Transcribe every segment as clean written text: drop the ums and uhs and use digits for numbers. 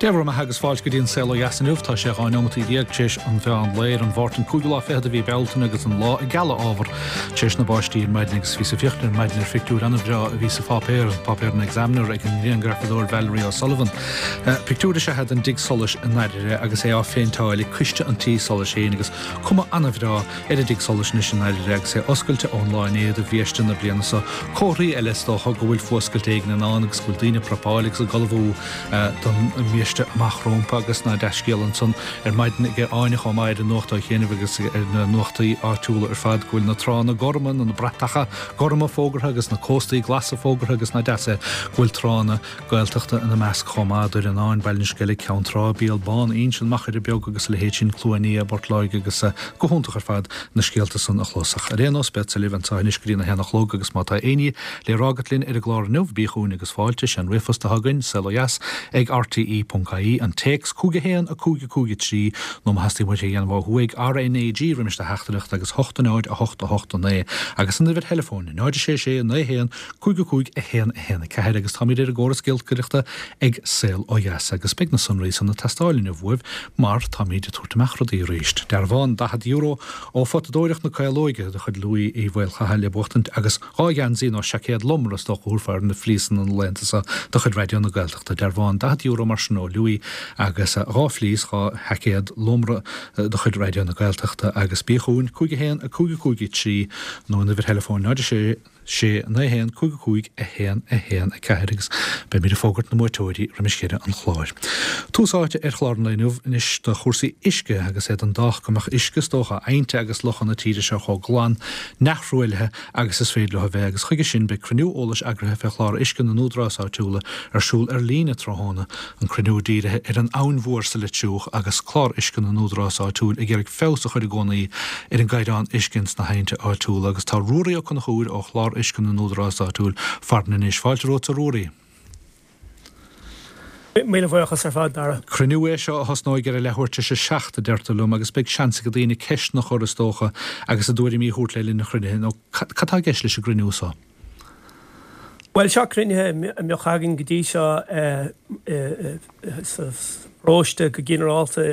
Dé bhur mbeatha agus fáilte go dtí an Saol Ó Dheas inniu. Tá sé 12 neomataí tar éis an mheán lae ar an Mháirt an cúigiú lá fichead de mhí Bealtaine agus an lá ag gealadh ábhar tar éis na báistí ar maidin agus bhíos ag féachaint ar maidin ar phictiúr an-bhreá a bhí sa pháipéar, an páipéar an Examiner ag an ngrianghrafadóir Valerie O'Sullivan. Pictiúr is ea é den dtigh solais i nDairire agus é á phéinteáil ag coiste an tí solais féin agus cuma an-bhreá ar an dtigh solais anois i nDairire agus é oscailte ón lá inné do bhiaiste na bliana seo. Comharthaí eile is dócha go bhfuil fuascailt éigin i ndán agus go bhfuil daoine ag prapáil agus ag ullmhú don mbiaiste amach rómpa agus ná dea-scéal ansan ar maidin ag Áine chomh maith ar an nuacht ó chianaibh agus ar na nuachtaí áitiúla ar fad go bhfuil na tránna gorma nó na bratacha gorma fógartha agus na cóstaí glasa fógartha agus ná deas é go bhfuil tránna Gaeltachta ina measc chomh maith, Doire an Fháin, Baile an Sceilg, Ceann Trá, Béal Bán, Inse, an Machaire Beag agus a leithéid sin, Cluain Fhia, Bport Láirge agus go hiontach ar fad na scéalta san a chlos. Ach ar aon nós, beadsa libh anseo anois go dtí na haon a chlog agus má tá éinní le rá agat linn ar an gclár inniu, bí chugainn agus fáilte, sé an ríomhphost atá againn, saolodheas ag rte.ie, an téacs 5 1 5 5 3 nó má theastaíonn uait é a dhéanamh ó thuaidh, RnaG roimis do theachtaireacht agus 8 0 8 8 9 agus an uimhir theileafóin 0 6 6 9 1 5 5 1 1 4 agus táimid ar an gcóras giolcaireachta ag Saol Ó Dheas agus beidh na sonraí san ag teastáil inniu uaibh mar táimid ag tabhairt amach rudaí arís. Dearbhán €40 ó Photadóireacht na Caolóige de chuid Louis Uí Mhaolchatha le buachtaint agus dhá gheansaí nó seaicéad lomra is dócha a thabharfá ar na flíosanna na laethanta seo de chuid Raidió na Gaeltachta. Dearbhán €40 mar sin ó Louis agus dhá fhlíos, dhá sheaicéad lomra de chuid Raidió na Gaeltachta agus bí chugainn 5 1 5 5 3 nó an uimhir theileafóin 0 6 6 9 1 5 5 1 1 4 agus beimid ag fógairt na mbuaiteoirí roimis dheireadh an chláir. Tús áite ar chlár an lae inniu anois do chúrsaí uisce agus é den dádh go mbeadh uisce is dócha aibhnte agus locha na tíre seo chomh glan neamhthruaillithe agus is féidir leo a bheith agus chuige sin beidh cruinniú eolais eagraithe fé chlár uisce na n-údarás áitiúla ar siúl ar líne tráthnóna An cruinniú dírithe ar an Abhainn Mhór sa Leitir agus clár uisce na n-údarás áitiúil ag iarraidh feabhas a chur i gcónaí ar an gcaighdeán uisce ins na haibhnte áitiúla agus tá Ruairí Ó Conchúir ó chlár uisce na n-údarás áitiúil farainn anois. Fáilte romhat a Ruairí. Míle buíochas ar fad, Dara. Cruinniú é seo a thosnóidh ar a leathuair tar éis a seacht, a deirtear liom, agus beidh seans ag daoine ceisteanna a chur, is dócha, agus a dtuairimí a thabhairt le linn an chruinnithe, nó cad tá i gceist leis an gcruinniú seo? Bhuel, seo cruinnithe a mbeadh againn go dtí seo sa pharóiste go ginearálta,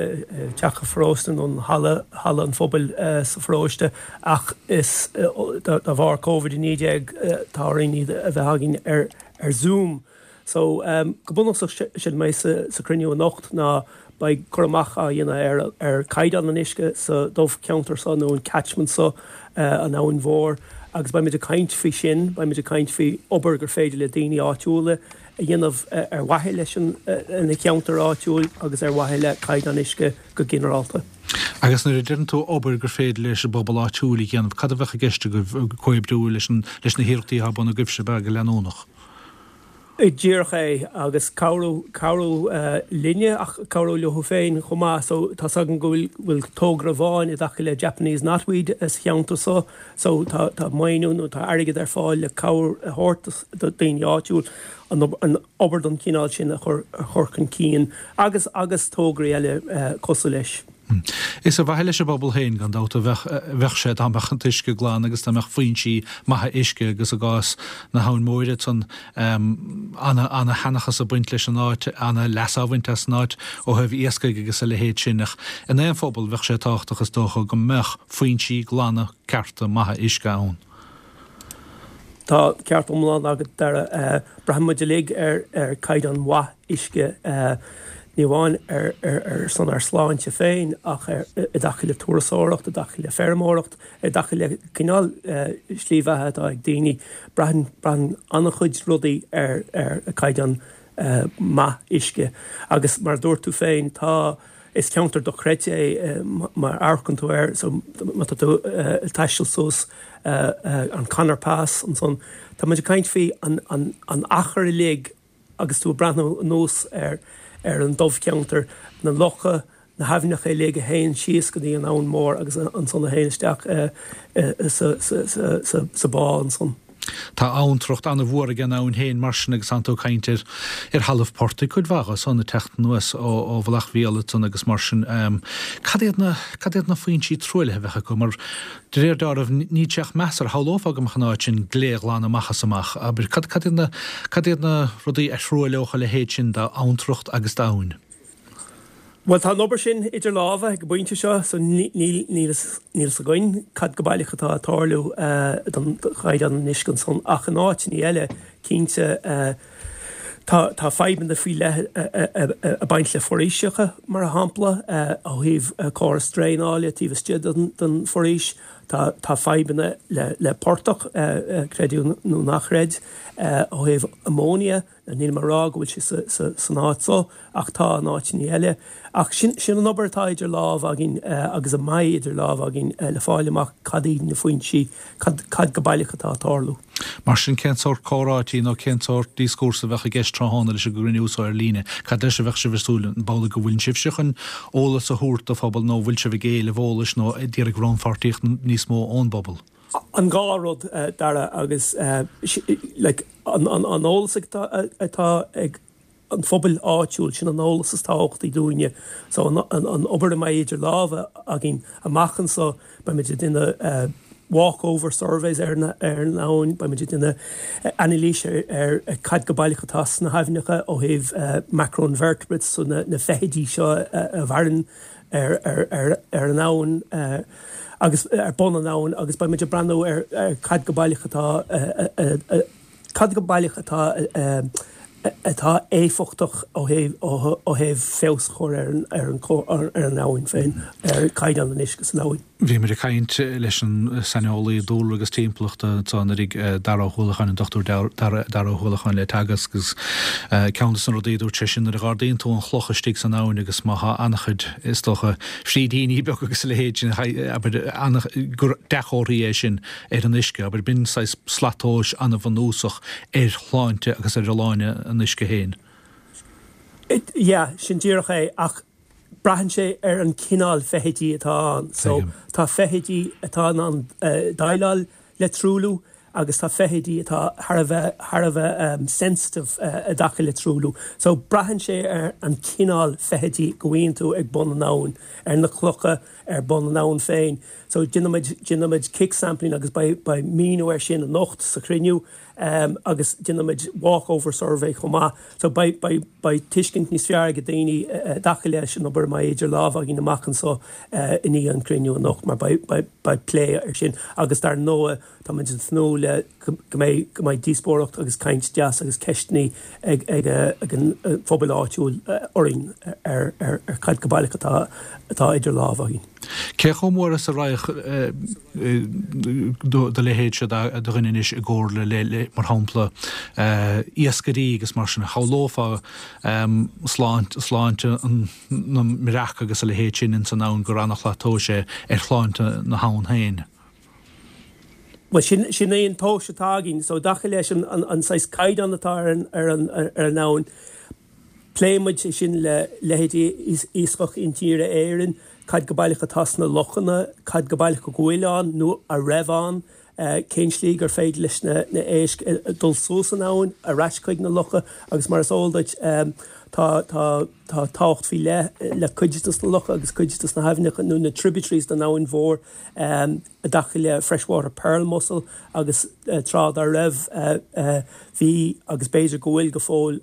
teach an pharóiste nó an halla, halla an phobail sa pharóiste ach is de bharr Covid-19 tá orainn iad a bheith againn ar Zoom. So, go bunúsach séard a bheidh sa chruinniú anocht ná beidh cur amach á dhéanamh ar chaighdeán an uisce sa dobharcheantar seo nó an catchment seo, an Abhainn Mhór, agus beidh muid ag caint faoi sin, beidh muid ag caint faoi obair gur féidir le daoine áitiúla a dhéanamh ar mhaithe leis an cheantar áitiúil agus ar mhaithe le caighdeán uisce go ginearálta. Agus nuair a deireann tú obair gur féidir leis an bpobal áitiúil a dhéanamh, cad a bheadh i gceist agaibh, comhoibriú leis na hiarrachtaí atá ar bun agaibhse, ab ea, go leanúnach? Díreach é, agus cabhrú, cabhrú linne ach cabhrú leo féin chomh maith. So tá's againn go bhfuil, bhfuil togra amháin i dtaca le Japanese knotweed sa cheantar so, so tá, tá maoiniú nó tá airgead ar fáil le cabhair a thabhairt do daoine áitiúil an, an obair den chineál sin a chur, a chur chun cinn agus, agus tograí eile cosúil leis. Is ar mhaithe leis an bpobal féin, gan dabht, a bheadh sé dá mbeadh an t-uisce glan agus dá mbeadh foinsí maithe uisce agus i gcás na hAbhann Móire ansan, ana-sheanchas ag baint leis an áit, ana-leas á bhaint as an áit ó thaobh iascaigh agus a leithéid sin. Ach in aon phobal bheadh sé tábhachtach is dócha go mbeadh foinsí glana cearta maithe uisce ann. Tá ceart iomlán agat, Dara. Braitheann muid uilig ar chaighdeán mhaith uisce, ní amháin ar son ár sláinte féin ach i dtaca le turasóireacht, i dtaca le feirmeoireacht, i dtaca le cineál slí bheatha atá ag daoine. Braitheann braitheann an-chuid rudaí ar chaighdeán maith uisce. Agus mar a dúirt tú féin, tá. Is ceantar dochreidte é má amharcann tú air, so má tá tú ag taisteal suas an Conor Pass ansan, tá muid ag caint faoi an achar uilig agus tú ag breathnú anuas ar an dobharcheantar, na locha, na haibhneacha uilig a théann síos go dtí an Abhainn Mhór agus ansan a théann isteach sa bá ansan. Tá abhantracht an-mhór ag an abhainn féin mar sin agus tánn tú ag caint ar ar thalamh portaigh cuid mhaith dhe san ag teacht anuas ó ó Mhullach Mhíol ansan agus mar sin. Cad iad na cad iad na foinsí truaillithe a bheadh acu mar de réir dealraimh níl sé ach measartha shamhlófá go mbeadh an áit sin gléghlan amach is amach. Abair cad cad iad na cad iad na rudaí a thruailleodh a leithéid sin d'abhantracht agus d'abhainn? Bhuel, tá an obair sin idir lámha ag an bpointe seo, so níl níl fhios againn cad go baileach atá ag tarlú don chaighdeán an uisce ansan ach in áiteanna eile, cinnte, tá tá fadhbanna faoi leith ag baint le foraoiseacha, mar shampla, ó thaobh córas draenála taobh istigh den den foraois. Tá tá fadhbanna le le portach, creid é nó ná creid, ó thaobh ammonia. Nílim ag rá go bhfuil sé san áit so, ach tá in áiteanna eile. Ach sin an obair atá idir lámha againn agus a mbeidh idir lámha againn le fáil amach cad iad na foinsí, cad go baileach atá ag tarlú. Mar sin, cén sórt comhráití nó cén sórt díoscúrsa a bheadh i gceist tráthnóna leis an gcruinniú so ar líne? Cad leis a bheadh sibh ag súil? An amhlaidh go bhfuil sibhse chun eolas a thabhairt do phobal nó an bhfuil sibh ag éileamh eolais nó ag iarraidh rannpháirtíocht níos mó ón bpobal? An dhá rud, Dara, agus like an eolas atá ag an phobal áitiúil, sin an eolas is tábhachtaí dúinne. So an obair a mbeidh idir lámha againn amach anso, beimid ag déanamh walkover surveys ar an abhainn, beimid ag déanamh anailís ar cad go baileach atá sna haibhneacha ó thaobh macroinvertebrates, so na feithidí seo a mhaireann ar an abhainn agus ar bun an abhainn agus beidh muid ag breathnú ar cad go baileach atá cad go baileach atá atá éifeachtach ó thaobh ó thaobh feabhas a chur ar an ar an ar an abhainn féin, ar chaighdeán an uisce san abhainn. Bhí muid ag caint leis an saineolaí dúlra agus timpeallachta anseo anuraidh, Dara Ó hUallacháin, an Dr Dara Ó hUallacháin le Teagasc agus ceann de na rudaí a dúirt sé sin nuair a dh'ardaíonn tú an chloch istigh san abhainn agus má thá an-chuid, is dócha, frídíní beaga agus a leithéid sin, abair, gur dea-chomharthaí é sin ar an uisce, abair, b'in saghas slat tomhais an-bhunúsach ar shláinte agus ar fholláine an uisce féin. Yeah, sin díreach é ach braitheann sé ar an cineál feithidí atá ann. So tá feithidí atá in ann déileáil le truailliú agus tá feithidí atá thar a bheith thar a bheith sensitive i dtaca le truailliú. So braitheann sé ar an cineál feithidí go bhfaigheann tú ag bun an abhainn, ar na clocha ar bun an abhainn féin. So déanfaimid déanfaimid kick sampling agus beidh beidh míniú air sin anocht sa chruinniú. agus déanfaimid walkover survey chomh maith. So beidh, beidh, beidh tuiscint níos fearr ag daoine i dtaca leis an obair a mbeidh idir lámha againn amach anso i ndiaidh an chruinniú anocht mar beidh, beidh, beidh plé ar sin agus dar ndóigh táimid ag tnúth le go mbeidh, go mbeidh díospóireacht agus caint deas agus ceisteanna ag, ag, ag an phobal áitiúil orainn ar, ar, ar cad go baileach atá, atá idir lámha againn. Cé chomh mór is a raghadh do leithéidse de dhuine anois i gcomhairle le, mar shampla, iascairí agus mar sin? Shamhlófá sláinte na mbreac agus a leithéid sin ins an abhainn gur ana-shlat tomhais é ar shláinte na habhann féin. Bhuel, sin, sin é an tomhas atá againn. So, i dtaca leis an, an saghas caighdeán atá ar an, ar an, ar an abhainn, Pléann muid é sin le leithéidí Iascach Intíre Éireann, cad go baileach atá sna lochanna, cad go baileach go bhfuil ann nó a raibh ann, cén slí gur féidir leis na héisc dul suas an abhainn, ar ais chuig na locha agus mar is eol duit tá tá tá tábhacht faoi leith le cuid de na locha agus cuid de na haibhneacha nó na tributaries den abhainn mhór. I dtaca le freshwater pearl mussel agus tráth dá raibh bhí agus b'fhéidir go bhfuil go fóill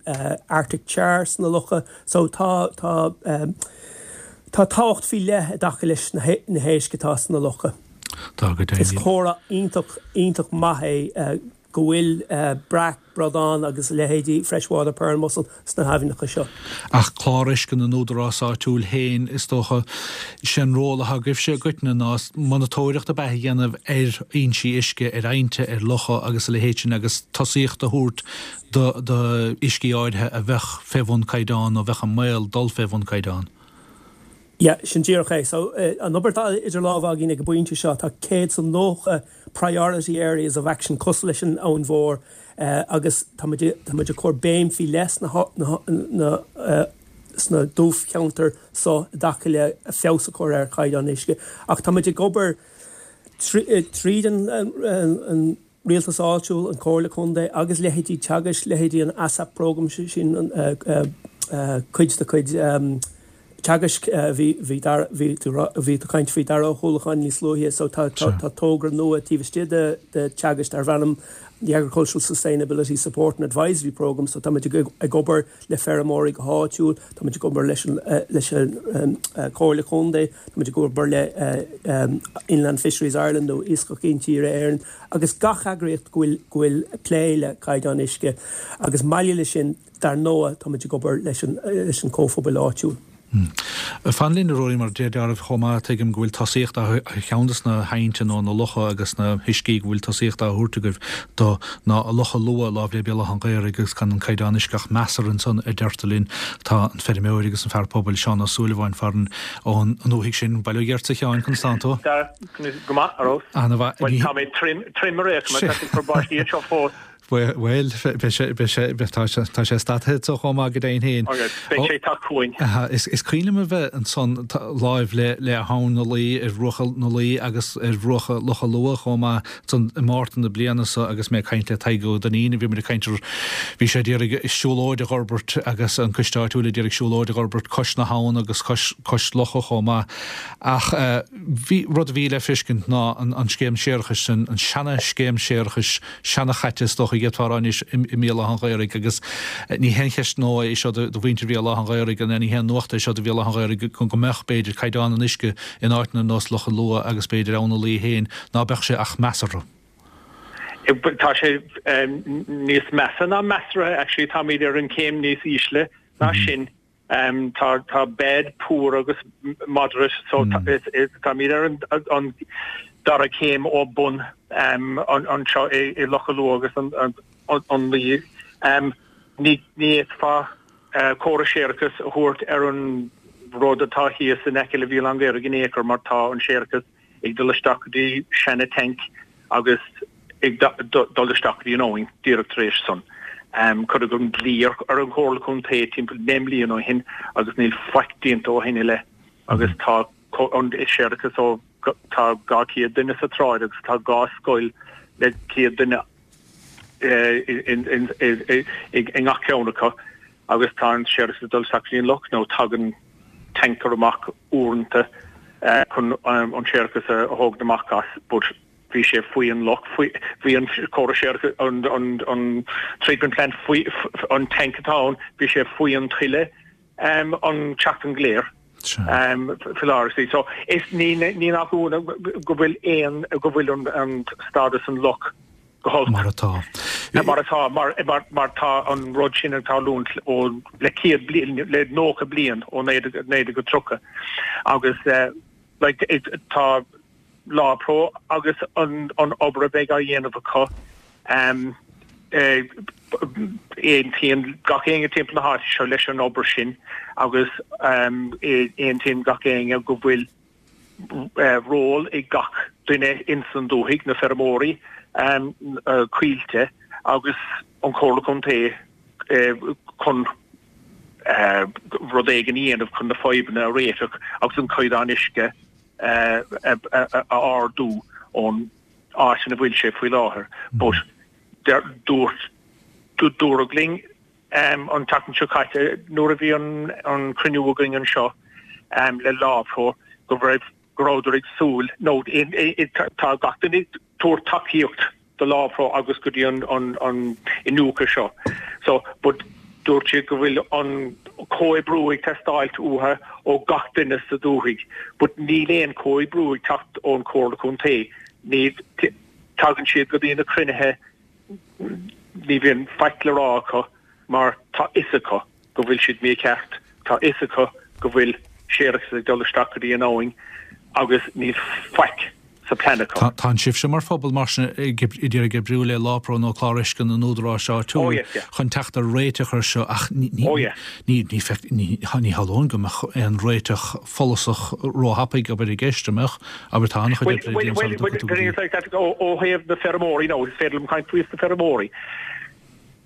Arctic char sna locha so tá tá tá tábhacht faoi leith i dtaca leis na héisc atá sna locha. Tá go deimhin. Is comhartha iontach iontach maith é go bhfuil breac, bradán agus a leithéidí freshwater pearl mussel sna haibhneacha seo. Ach clár uisce na n-údarás áitiúil féin, is dócha, sé an ról atá agaibhse i gcoitinne ná monatóireacht ab ea a dhéanamh ar fhoinsí uisce, ar aibhnte, ar locha agus a leithéid sin agus tosaíocht a thabhairt do d'uiscí áirithe a bheadh fé bhun caighdeán nó a bheadh i mbaol dul fé bhun caighdeán. Yeah, sin díreach é. So, an obair atá idir lámha againn ag an bpointe seo, tá 190 priority areas of action cosúil leis an Abhainn Mhór agus tá muid, tá muid ag cur béim faoi leith sna, na, sna dubhcheantair so i dtaca le feabhas a chur ar chaighdeán uisce. Ach tá muid ag obair tríd an, an, rialtas áitiúil, an Chomhairle Contae agus leithéidí Teagaisc, leithéidí an ASAP program, sin cuid de chuid. Teagasc, bhí, bhí Dara, bhí tú, bhí tú ag caint faoi Dara Ó hUallacháin níos luaithe, so tá, tá, tá togra nua taobh istigh de, de Teagasc darb ainm The Agricultural Sustainability Support and Advisory Programme, so táimid ag, ag obair le feirmeoirí go háitiúil, táimid ag obair leis an, leis an Comhairle Contae, táimid ag obair le Inland Fisheries Ireland nó Iascach Intíre Éireann agus gach eagraíocht go bhfuil, go bhfuil plé le caighdeán uisce agus maille leis sin, Dar ndóigh, táimid ag obair leis an leis an comhphobal áitiúil. Fan linn, a Ruairí, mar deir Dara chomh maith, tuigim go bhfuil tosaíocht á cheann de na haibhnte nó na locha agus na huiscí go bhfuil tosaíocht á thabhairt agaibh do ná Loch an Lua láimh le Béal Átha an Ghaorthaidh agus gan an caighdeán uisce ach measartha ansan a deirtear linn. Tá an feirmeoir agus an fear pobail Seán Ó Súilleabháin farainn ón ndúthaigh sin. Bail ó Dhia ort a Sheáin, conas tánn tú? Dara, go maith, ar fheabhas. Ana-mhaith. Bhuel, tá mé tirim, tirim ar aon chuma, tá siad ag cur báistí anseo fós. Bhuel, beidh sé, beidh sé, tá sé, tá sé stadtha anso chomh maith go deimhin féin. Agus beidh sé ag teacht chugainn. Is, is cuimhin liom a bheith ansan láimh le, le hAbhainn na Laoi, ar bhruacha na Laoi agus ar bhruacha Loch an Lua chomh maith ansan i Márta na bliana so agus mé ag caint le Tadhg Ó Duinnín, bhí muid ag caint ar, bhí sé ag iarraidh siúlóid a dh'fhorbairt agus an coiste áitiúil ag iarraidh siúlóid a dh'fhorbairt cois na habhann agus cois, cois locha chomh maith. Ach bhí, rud a bhí le feiscint ná an, an scéim séarachais sin, an seana scéim séarachais, seana-chaite is dócha a d'fhéadfá a rá anois i mBéal Átha an Ghaorthaidh agus ní haon cheist nua é seo do mhuintir Bhéal Átha an Ghaorthaidh nó ní haon nuacht é seo do Bhéal Átha an Ghaorthaidh go mbeadh, b'fhéidir, caighdeán an uisce in áiteanna ar nós Loch an Lua agus b'fhéidir Abhainn na Laoi féin, ná beadh sé ach measartha. Tá sé níos measa ná measartha actually, táimid ar an chéim níos ísle ná sin. Tá tá bad, poor agus moderate so táimid ar an dara céim ó bun anseo i Loch an Lua agus an Laoi. Ní fhéadfá córas séarachais a thabhairt ar an rud atá thíos in aice le Béal Átha an Ghaorthaidh in aon chor mar tá an séarachas ag dul isteach go dtí seana tank agus ag dul isteach go dtí an abhainn díreach tar éis san. Cuireadh an dlí ar an Chomhairle Contae timpeall 9 mbliana ó shin agus níl faic déanta ó shin i leith agus tá an séarachas ó tá 200 duine sa tsráid agus tá dhá scoil le 100 duine i ngach ceann acu agus tá an séarachas ag dul isteach go dtí an loch nó tagann tanker amach uaireanta chun an séarachas a thógaint amach as but bhí sé faoi an loch, faoi, bhí an córas séarachais, an, an, an treatment plant faoi, an tank atá ann, bhí sé faoi an tuile an tseachtain go léir. Faoi láthair. So is ní, ní nach ionadh go bhfuil aon, go bhfuil an, an stádas an loch go holc. Mar atá. Mar atá, mar, mar, mar tá an rud sin ag tarlúint ó le 100 bliain, le 90 bliain ó 1930 agus like tá LawPro agus an an obair a bheidh á dhéanamh acu aontaíonn gach éinne timpeall na háite seo leis an obair sin agus aontaíonn gach éinne go bhfuil ról ag gach duine ins an dúthaigh, na feirmeoirí, Coillte agus an Chomhairle Contae chun rud éigin a dhéanamh chun na fadhbanna a réiteach agus an caighdeán uisce a ardú ón áit ina bhfuil sé faoi láthair. But dúirt, dúradh linn an tseachtain seo caite nuair a bhí an cruinniú againn anseo le LawPro go raibh, go rabhadar ag súil, nó tá gach duine ag tabhairt tacaíocht do LawPro agus go dtí an iniúchadh seo. So, but dúirt siad go bhfuil an comhoibriú ag teastáilt uathu ó gach duine sa dúthaigh, but níl aon comhoibriú ag teacht ón Chomhairle Contae. Ní, tagann siad go dtí na cruinnithe, ní bhíonn faic le rá acu mar tá fhios acu go bhfuil siad mícheart, tá fhios acu go bhfuil séarachas ag dul isteach go dtí an abhainn agus níl faic sa plean acu. Tá sibhse mar phobal mar sin ag iarraidh oibriú le LawPro nó Clár Uisce na n-údaráis áitiúil chun teacht ar réiteach ar seo ach ní shamhlóinn go mbeadh aon réiteach follasach róthapaidh abair i gceist, an mbeadh? Abair tá an-chuid oibre le déanamh sula dtiocfaidh tú go dtí. Ó thaobh na feirmeoirí nó is féidir liom caint faoi na feirmeoirí.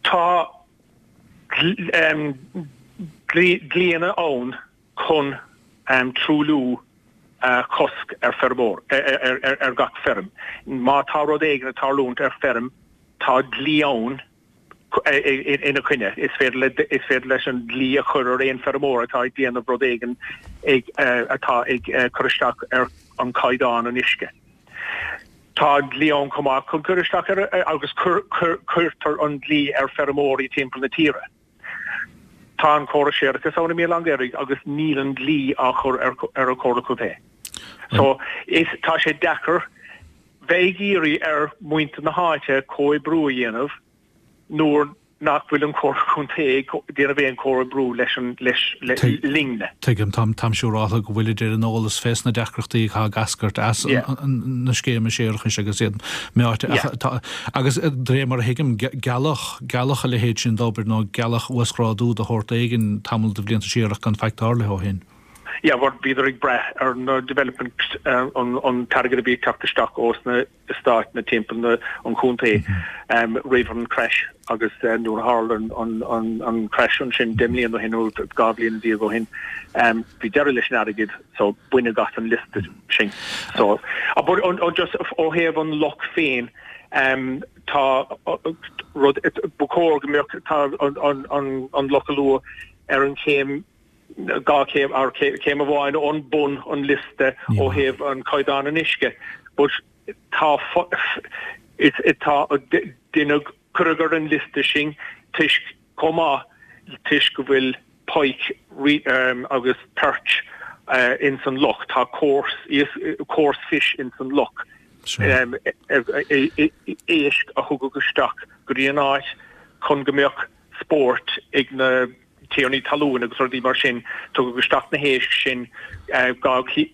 Tá dlíanna ann chun truailliú a chosc ar feirmeoir, ar gach feirm. Má tá rud éigin ag tarlúint ar feirm, tá dlí ann. Ina choinne. Is féidir le, is féidir leis an dlí a chur ar aon feirmeoir atá ag déanamh rud éigin ag, atá ag cur isteach ar an caighdeán an uisce. Tá an dlí ann chomh maith chun cur isteach ar, agus cuirtear an dlí ar feirmeoirí timpeall na tíre. Tá an córas séarachais ann i mBéal Átha an Ghaorthaidh agus níl an dlí á chur ar an Chomhairle Contae. So, is, tá sé deacair bheith ag iarraidh ar mhuintir na háite comhoibriú a dhéanamh nuair nach bhfuil an Chomhairle Contae ag déanamh aon chomhoibriú leis an, leis, linne. Tuigim. Táim, táim siúráltha go bhfuilid ar an eolas fés na deacrachtaí atá ag eascairt as na scéime séarachais agus iad meáite. Ach tá, agus de réir mar a thuigim, gealladh, gealladh a leithéid sin d'obair nó gealladh uasghrádú de shórt éigin tamall de bhlianta siar ach gan faic tarlaithe ó shin. Yeah, bhuel, bhíodar ag brath ar na development, an t-airgead a bhí ag teacht isteach ós na stáit na timpeall na, an chontae roimh an crash agus nuair a tharla an crash ansin 10 mbliana ó shin nó 12 bhliain ó shin, bhí deireadh leis an airgead so baineadh as an liosta sin. So, but just ó thaobh an loch féin, tá rud, ba chóir go mbeadh, tá an Loch Allua ar an chéim 2 chéim, or céim amháin ón bun an liosta ó thaobh an caighdeán an uisce but tá tá deineadh cuireadh ar an liosta sin toisc chomh maith toisc go bhfuil pike agus perch ins an loch tá coarse coarse fish ins an loch éisc a thugadh isteach go dtí an áit chun go mbeadh spórt ag na tiarnaí talún agus rudaí mar sin, tugadh isteach na héisc sin 200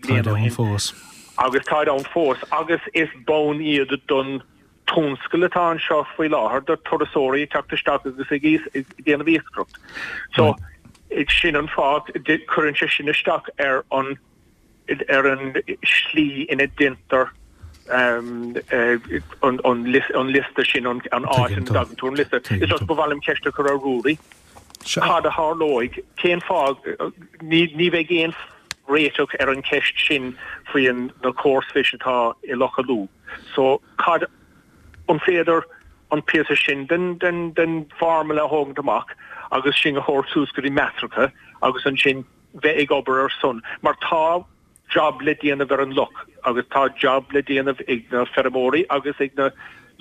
bliain ó shin agus táid ann fós agus is bonn iad don tionscal atá anseo faoi láthair, do turasóirí ag teacht isteach agus ag déanamh iascaireacht. So sin an fáth, cuireann sé sin isteach ar an ar an slí ina ndéantar an liosta sin, an áit ina dtagann tú ar an liosta. Is just ba mhaith liom ceist a chur ar Ruairí. Cad a tharlóidh? Cén fáth? Ní bheidh aon réiteach ar an cheist sin faoi na coarse fish atá i Loch Allua. So cad, an féidir an píosa sin den den formula a thógaint amach agus sin a thabhairt suas go dtí measartha agus ansin bheith ag obair ar son, mar tá job le déanamh ar an loch agus tá job le déanamh ag na feirmeoirí agus ag na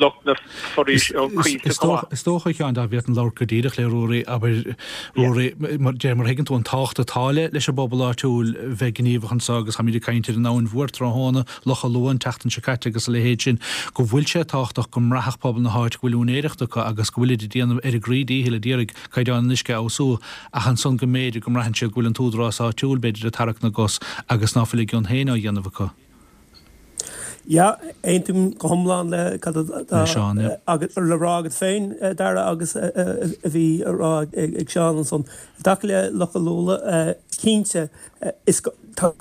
lucht na foraois, coillte chomh maith. Is dócha, a Sheáin, dá bhféadfainn labhairt go díreach le Ruairí, abair, Ruairí, de réir mar a thuigeann tú an tábhacht atá le leis an bpobal áitiúil bheith gníomhach anseo agus táimid ag caint ar an Abhainn Mhór tráthnóna, Loch Allua an tseachtain seo caite agus a leithéid sin, go bhfuil sé tábhachtach go mbraithfeadh pobal na háite go bhfuil úinéireacht acu agus go bhfuilid ag déanamh ar a gcroí díchill a d'iarraidh caighdeán an uisce a fheabhsú, ach ansan go mb'fhéidir go mbraitheann siad go bhfuil an t-údarás áitiúil, b'fhéidir, ag tarrac na gcos agus ná fuil a gcion féin á dhéanamh acu. Yeah, aontaím go hiomlán le cad atá le rá agat féin, Dara, agus a bhí á rá ag Seán ansan. I dtaca le Loch Allua, cinnte, is tá.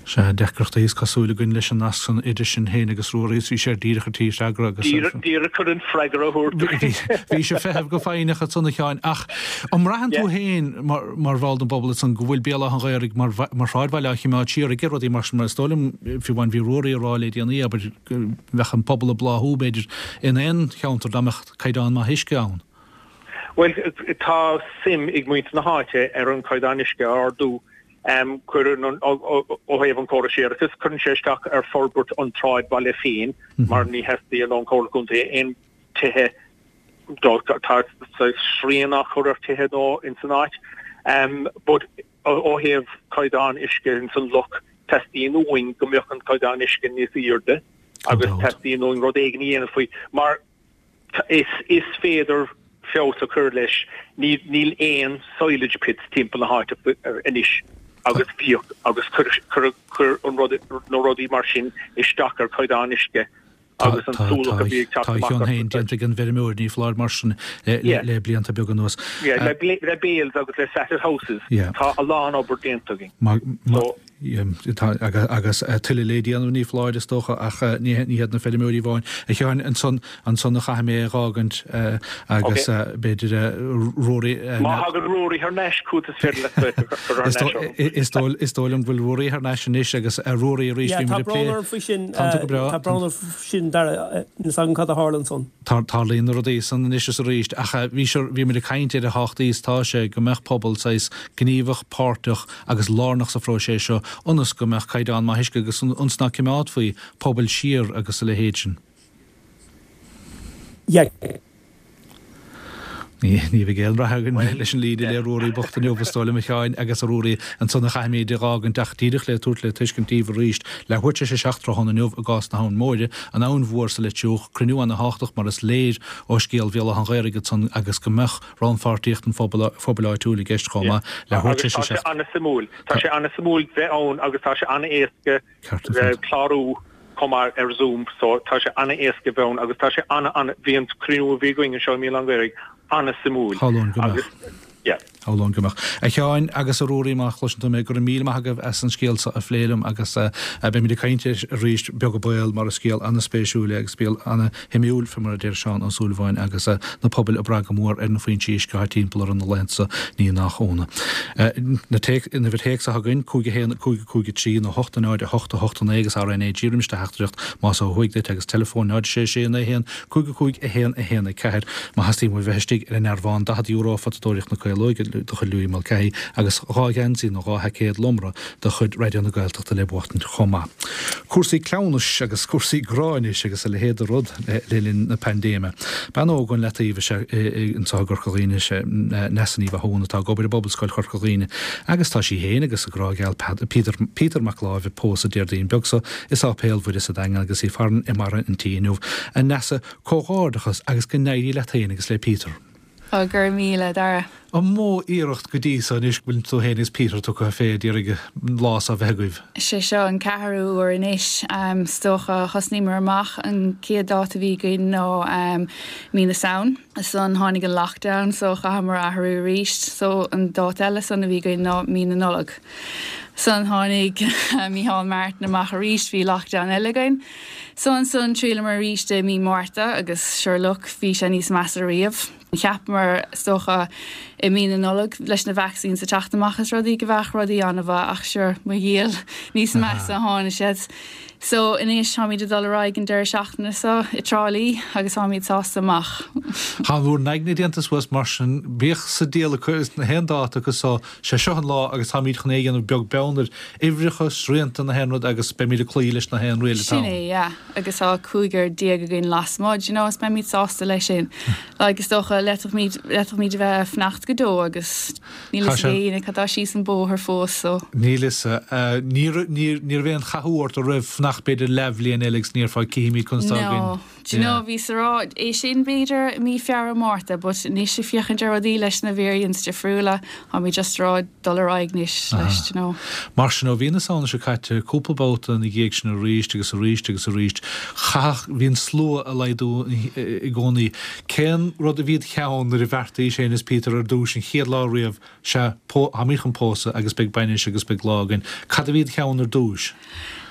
Sea, deacrachtaí is cosúil againn leis an nasc san idir sinn féin agus Ruairí is bhí sé díreach ar tí freagra agus. Díreach chun an freagra a thabhairt duit. Bhí sé ag feitheamh go foighneach ansan a Sheáin ach an mbraitheann tú féin mar bhall den bpobal ansan go bhfuil Béal Átha an Ghaorthaidh mar shráidbhaile á chimeád siar aige rudaí mar sin mar is dóigh liom fiú amháin bhí Ruairí ag rá le déanaí abair go mbeadh an pobal ag bláthú b'fhéidir in aon cheantar dá mbeadh caighdeán maith uisce ann. Bhuel, tá suim ag muintir na háite ar an chaighdeán uisce a ardú. Cuireann an, ó thaobh an chórais séarachais, cuireann sé isteach ar forbairt an tsráidbhaile féin mar ní theastaíonn ón Chomhairle Contae aon tithe, tá srian á chur ar tithe nua ins an áit. But ó thaobh caighdeán uisce ins an loch, teastaíonn uainn go mbeadh an caighdeán uisce níos airde agus teastaíonn uainn rud éigin a dhéanamh faoi mar Is féidir feabhas a chur leis. Níl aon silage pits timpeall na háite anois agus bhíodh agus chuir an rud, na rudaí mar sin isteach ar chaighdeán uisce agus an súlach a bhí ag teacht amach. Tá a chion féin déanta ag an bhfeirmeoir, ní foláir mar sin le blianta beaga anuas. Le bales agus le slatted houses tá a lán obair déanta againn. Agus tuilleadh le déanamh, ní foláir, is dócha, ach ní hiad na feirmeoirí amháin. A Sheáin, ansan, ansan a chaithfidh mé é a dh'fhágaint agus b'fhéidir Ruairí. Má thagann Ruairí thar n-ais chugat is féidir leat a chur thar n-ais orm. Is dóigh liom go bhfuil Ruairí thar n-ais anois agus a Ruairí arís bhí muid ag plé. Tá brón orm faoi sin. Tá tú go breá. Tá brón orm faoi sin, Dara. Níl 's agam cad a tharla ansan. Tarlaíonn na rudaí san anois is arís ach bhí, bhí muid ag caint ar a thábhachtaí is atá sé go mbeadh pobal saghas gníomhach, páirteach agus lárnach sa phróiseas seo ionas go mbeadh caighdeán maith uisce agus ionas ná cimeádfaí pobail siar agus a leithéid sin. Yeah. Ní bheidh aon rath againn leis an líne le Ruairí bocht inniu, is dóigh liom, a Sheáin, agus a Ruairí, ansan a chaithfimid é dh'fhágaint ach díreach le tabhairt le tuiscint daoibh arís, leathuair tar éis a 7 tráthnóna inniu i gcás na hAbhann Móire, an Abhainn Mhór sa Leitir Fhiuch, cruinniú ana-thábhachtach mar is léir ó scéal Bhéal Átha an Ghaorthaidh ansan agus go mbeadh rannpháirtíocht an phobail áitiúil i gceist chomh maith. Leathuair tar éis a 7. Agus tá sé an-suimiúil. Tá sé an-suimiúil bheith ann agus tá sé an-éasca clárú chomh maith ar Zoom so tá sé an-éasca bheith ann agus tá sé an-an bhí an cruinniú a bhí againn anseo i mBéal Átha an Ghaorthaidh an-suimiúil. Shamhlóinn go mbeadh. Yeah. Shamhlóinn go mbeadh. A Sheáin agus a Ruairí, má chloiseann tú mé, go raibh míle maith agaibh as an scéal seo a phlé liom agus beimid ag caint air arís beag an baol mar is scéal an-spéisiúil é agus scéal an-shuimiúil fé mar a deir Seán Ó Súilleabháin agus na pobail ag brath go mór ar na foinsí uisce atá timpeall orthu na laethanta seo, ní nach ionadh. Na uimhir théacs atá againn, 5 1 5 5 3 nó 8 0 8 8 9 agus RNAG roimis do theachtaireacht más ó thuaidh duit agus teileafón 0 6 6 9 1 5 5 1 1 4 Má theastaíonn uaibh bheith istigh ar an ndearbhán €40 Photadóireacht na Caolóige de chuid Louis Mulcahy agus 2 gheansaí nó 2 sheaicéad lomra de chuid Raidió na Gaeltachta le buachtaint chomh maith. Cúrsaí cleamhnais agus cúrsaí grá anois agus a leithéid de rud le linn na paindéime. Bean óg ón Leataobh is ea í anseo i gCorca Dhuibhne, is é Neasa Ní Mhathúna atá ag obair i bPobalscoil Chorca Dhuibhne agus tá sí féin agus a grá geal Peter Peter Mac Láimh ag pósadh Déardaoin beag seo i Sáipéal Mhuire sa Daingean agus í farainn i mbarra an tí inniu. A Neasa, comhghairdeachas agus go n-éirí leat féin agus le Peter. Ó, go raibh míle, a Dhara. An mó iarracht go dtí so anois go bhfuil tú féin agus Peter tugtha fé d'iarraidh an lá so a bheith agaibh? Sé seo an ceathrú uair anois. Is dócha, thosnaíomar amach, an chéad dáta a bhí againn ná mí na Samhain. Ansan tháinig an lockdown so chaitheamar athrú arís. So an dáta eile san a bhí againn ná mí na Nollag. Ansan tháinig Micheál Martin amach arís, bhí lockdown eile againn. So ansan thriaileamar arís i mí Márta agus sure look bhí sé níos measa riamh. Cheapamar is dócha i mí na Nollag leis na vaccines ag teacht amach is rudaí go bheadh rudaí an-mhaith ach sure mo dhiail níos measa a tháinig siad. So anois táimid ag dul ar aghaidh an deireadh seachtaine seo i dTrá Lí agus táimid sásta amach. Tá bhur n-aigne déanta suas mar sin, bíodh sa diabhal acu is na haon dáta acu so, sé seo an lá agus táimid chun é a dhéanamh beag beann ar uimhreacha, srianta, na haon rud agus beimid ag cloí leis na haon riail atá ann. Sin é, yeah. Agus tá cúigear déag againn lasmuigh, do you know, is beimid sásta leis sin. Like, is dócha, d'fhéadfadh, d'fhéadfadh a bheith ag fanacht go deo agus Níl fhios ag éinne cad tá síos an bóthar fós so. Níl fhios. Ní raibh aon chathú ort a raibh fanacht b'fhéidir leathbhliain eile agus ní déarfá cífimid conas atá againn. No. Do you know, bhíos a rá é sin b'fhéidir i mí Feabhra, Márta but anois ag féachaint ar rudaí leis na variants difriúla, táimid just a rá dul ar aghaidh anois leis, do you know. Mar sin, ó mhí na Samhna seo caite, cúpla babhta ina dhiaidh sin arís agus arís agus arís, chaithfeadh, bhí an slua ag laghdú i gcónaí. Cén rud a bhí id cheann nuair a bheartaís féin is Peter ar dtúis an chéad lá riamh, sea, táimid chun pósadh agus beidh bainis agus beidh lá againn. Cad a bhí id cheann ar dtúis?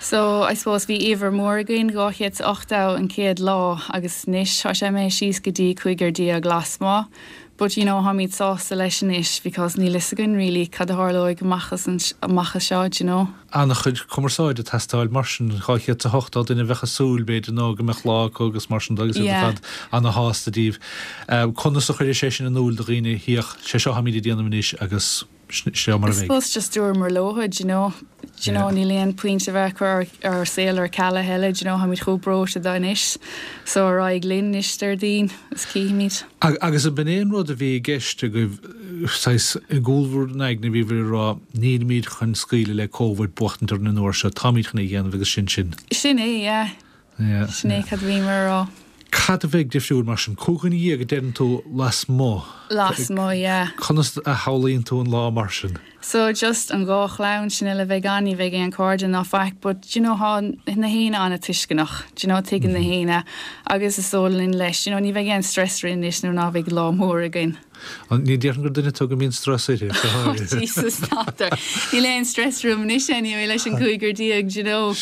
So, I suppose bhí uimhir mór againn, 280 an chéad lá agus anois tá sé imithe síos go dtí cúigear déag lasmuigh. But, you know, táimid sásta leis anois because níl fhios againn really cad a tharlóidh amach as amach as seo, do you know. An-chuid cumarsáide ag teastáil mar sin, 280 duine a bheadh ag súil, b'fhéidir, nó go mbeadh lá acu agus mar sin de agus iad ar fad ana-shásta díobh. Conas a chuireadh sé sin in iúl do dhaoine, féach, sé seo atáimid ag déanamh anois agus seo mar a bheidh. I suppose just dúramar leo, do you know, do you know, níl aon pointe a bheith ag cur ár saol ar ceal a thuilleadh, do you know, táimid chomh breoite de anois, so ar aghaidh linn anois Déardaoin is cífimid. Agus an b'in é an rud a bhí i gceist agaibh, saghas, i gcúl bhur n-aigne, bhíobhair ag rá, nílimid chun scaoileadh le Covid buachtaint orainn an uair seo, táimid chun é a dhéanamh agus sin sin. Sin é, yeah. Sin é cad a bhíomar a rá. Cad a bheidh difriúil mar sin? 15 dhuine a deireann tú lasmuigh. Lasmuigh, yeah. Conas a shamhlaíonn tú an lá mar sin? So just an dá chlann sin uile a bheidh ann, ní bheidh aon cairde ná faic but do you know tá na héinne an-tuisceanach, do you know tuigeann na héinne agus is dóigh linn leis, do you know ní bheidh aon stress orainn anois nuair ná bheidh lá mór againn. Ní déarfainn gur duine tú go mbíonn strus uirthi, go Oh háirithe. Jesus, n'fheadar. Níl aon stress orm anois anyway leis an gcúigear déag, do you know.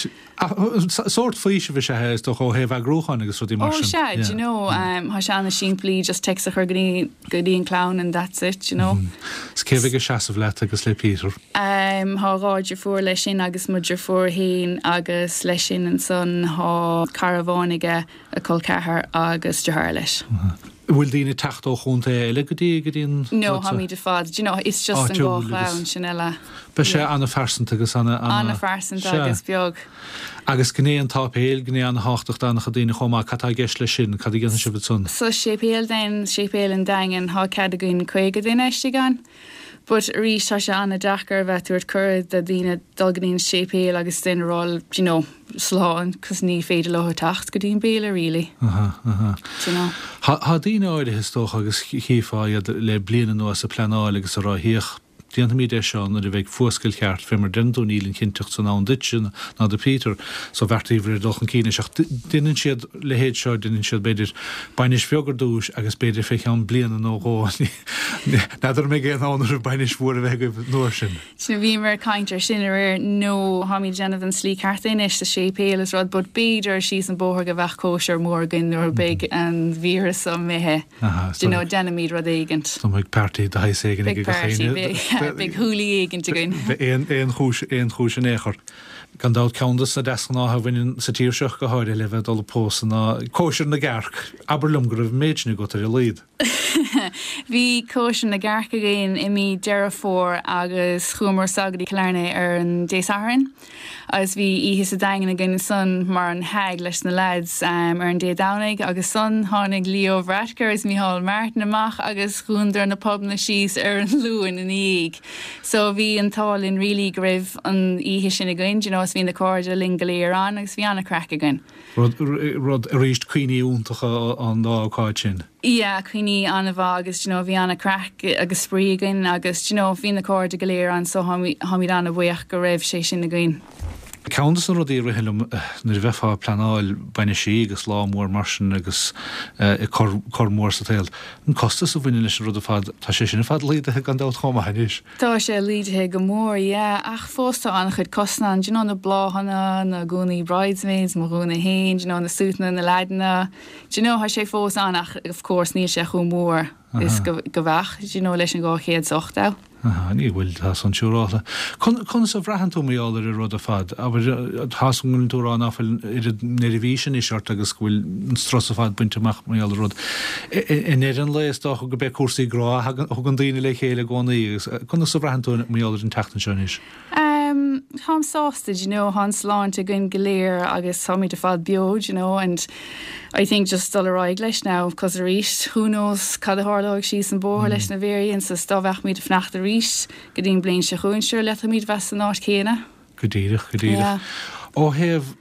Sórt faoisimh is ea é, is dócha, ó thaobh eagrúcháin agus rudaí mar Oh sin. sea, do you know, tá sé ana-shimplí, just text a chur go dtí, go dtí an clann and that's it, do you know. Is cé a bheidh ag seasamh leat agus le Peter? Tá 2 deirfiúr leis sin agus mo dheirfiúr fhéin agus leis sin ansan tá cara amháin aige, a col ceathar agus deartháir leis. An bhfuil daoine ag teacht ó chontae eile go dtí go dtí an No, tháimid ar fad, do you know, it's just an dhá áitiúil agus chlann sin eile. Beidh sé an-phearsanta agus ana, ana, An-phearsanta sea. agus beag. Agus gné an tsáipéil, gné an-thábhachtach d'an-chuid daoine chomh maith, cad tá i gceist leis sin, cad a dhéanfaidh sibh ansan? Sa séipéal then, séipéal an Daingin, thá cead againn 50 duine istigh ann. But arís tá sé an-deacair a bheith ag tabhairt cuireadh do daoine dul go dtí an séipéal agus then a rá do you know slán cos ní féidir leo teacht go dtí an béile really. Aha, aha. Do you know. Tá, tá daoine áirithe is dócha agus chífeá iad le bliain anuas ag pleanáil agus ag rá féach, déanfaimid é seo nuair a bheidh fuascailt cheart fé mar deireann tú níl an chinnteacht san ann duitse ná do Peter so bheartaíobhair ar dul chun cinn leis ach deineann siad leithéid seo, deineann siad b'fhéidir bainis bheag ar dtúis agus b'fhéidir fé cheann bliana nó dhó N'fheadar an mbeidh aon fhonn oraibh bainis mhór a bheith agaibh an uair sin. Sea, bhíomar ag caint ar sin aréir, nó táimid ag déanamh an slí ceart anois sa séipéal is rud, but b'fhéidir síos an bóthar go bheadh cóisir mór againn nuair a beidh an víreas seo imithe. Do you know, déanfaimid rud éigint. So beidh party de shaghas éigin ag Beidh gach party, éinne. beidh, beidh hoolie éigint againn. Beidh aon chúis, aon chúis in aon chor. Gan dabht, ceann de na deasghnátha a bhaineann sa tír seo go háirithe le bheith ag dul ag pósadh ná cóisir na gcearc. Abair liom go raibh an méid sin agat ar a laghad. Bhí cóisir na gcearc againn i mí Deireadh Fómhair agus chuamar soir go dtí Killarney ar an Dé Sathairn agus bhí oíche sa Daingean againn ansan mar an hag leis na lads ar an Dé Domhnaigh agus ansan tháinig Leo Varadkar agus Micheál Martin amach agus dhúnadar na pubanna síos ar an Luan ina dhiaidh. So bhí an t-ádh linn really go raibh an oíche sin againn, do you know, is bhí na cairde linn go léir ann agus bhí an-craic againn. Rud, rud, arís, cuimhní iontacha an dá ócáid sin. Yeah, cuimhní an-mhaith agus do you know bhí an-craic agus spraoi againn agus do you know bhí na cairde go léir ann so táimid an-bhuíoch go raibh sé sin againn. Ceann de na rudaí a ritheann liom nuair a bheifeá ag pleanáil bainisí agus lá mór mar sin agus cor, cor mór sa tsaol, an costas a bhaineann leis an rud ar fad, tá sé sin ar fad laghdaithe gan dabht chomh maith anois. Tá sé laghdaithe go mór, yeah, ach fós tá an-chuid costas ann, do you know, na bláthanna, na gúnaí bridesmaids, mo ghúna fhéin, do you know, na suiteanna, na leaideanna, do you know, tá sé fós ann ach of course níl sé chomh mór is go bheadh, do you know, leis an 280. Aha, ní bhfuil, tá san siúrálta. Conas a bhraitheann tú mar gheall ar an rud ar fad? Abair, tá 's agam go bhfuil tú ag rá ná fuil oiread neirbhíse anois ort agus go bhfuil an strus ar fad bainte amach mar gheall ar an rud. I ndeireadh an lae is dócha go b'é cúrsaí grá a thugann daoine le chéile i gcónaí agus conas a bhraitheann tú mar gheall ar an tseachtain seo anois? Em, táim sásta, do you know, tá an sláinte againn go léir agus táimid ar fad beo, do you know, and I think just dul ar aghaidh leis now, cos arís, who knows cad a tharlóidh síos an bóthar leis na variants is dá mbeadh muid ag fanacht arís go dtí an bliain seo chugainn, sure, d'fhéadfaimid bheith san áit chéanna. Go díreach, go díreach. Yeah. Ó thaobh,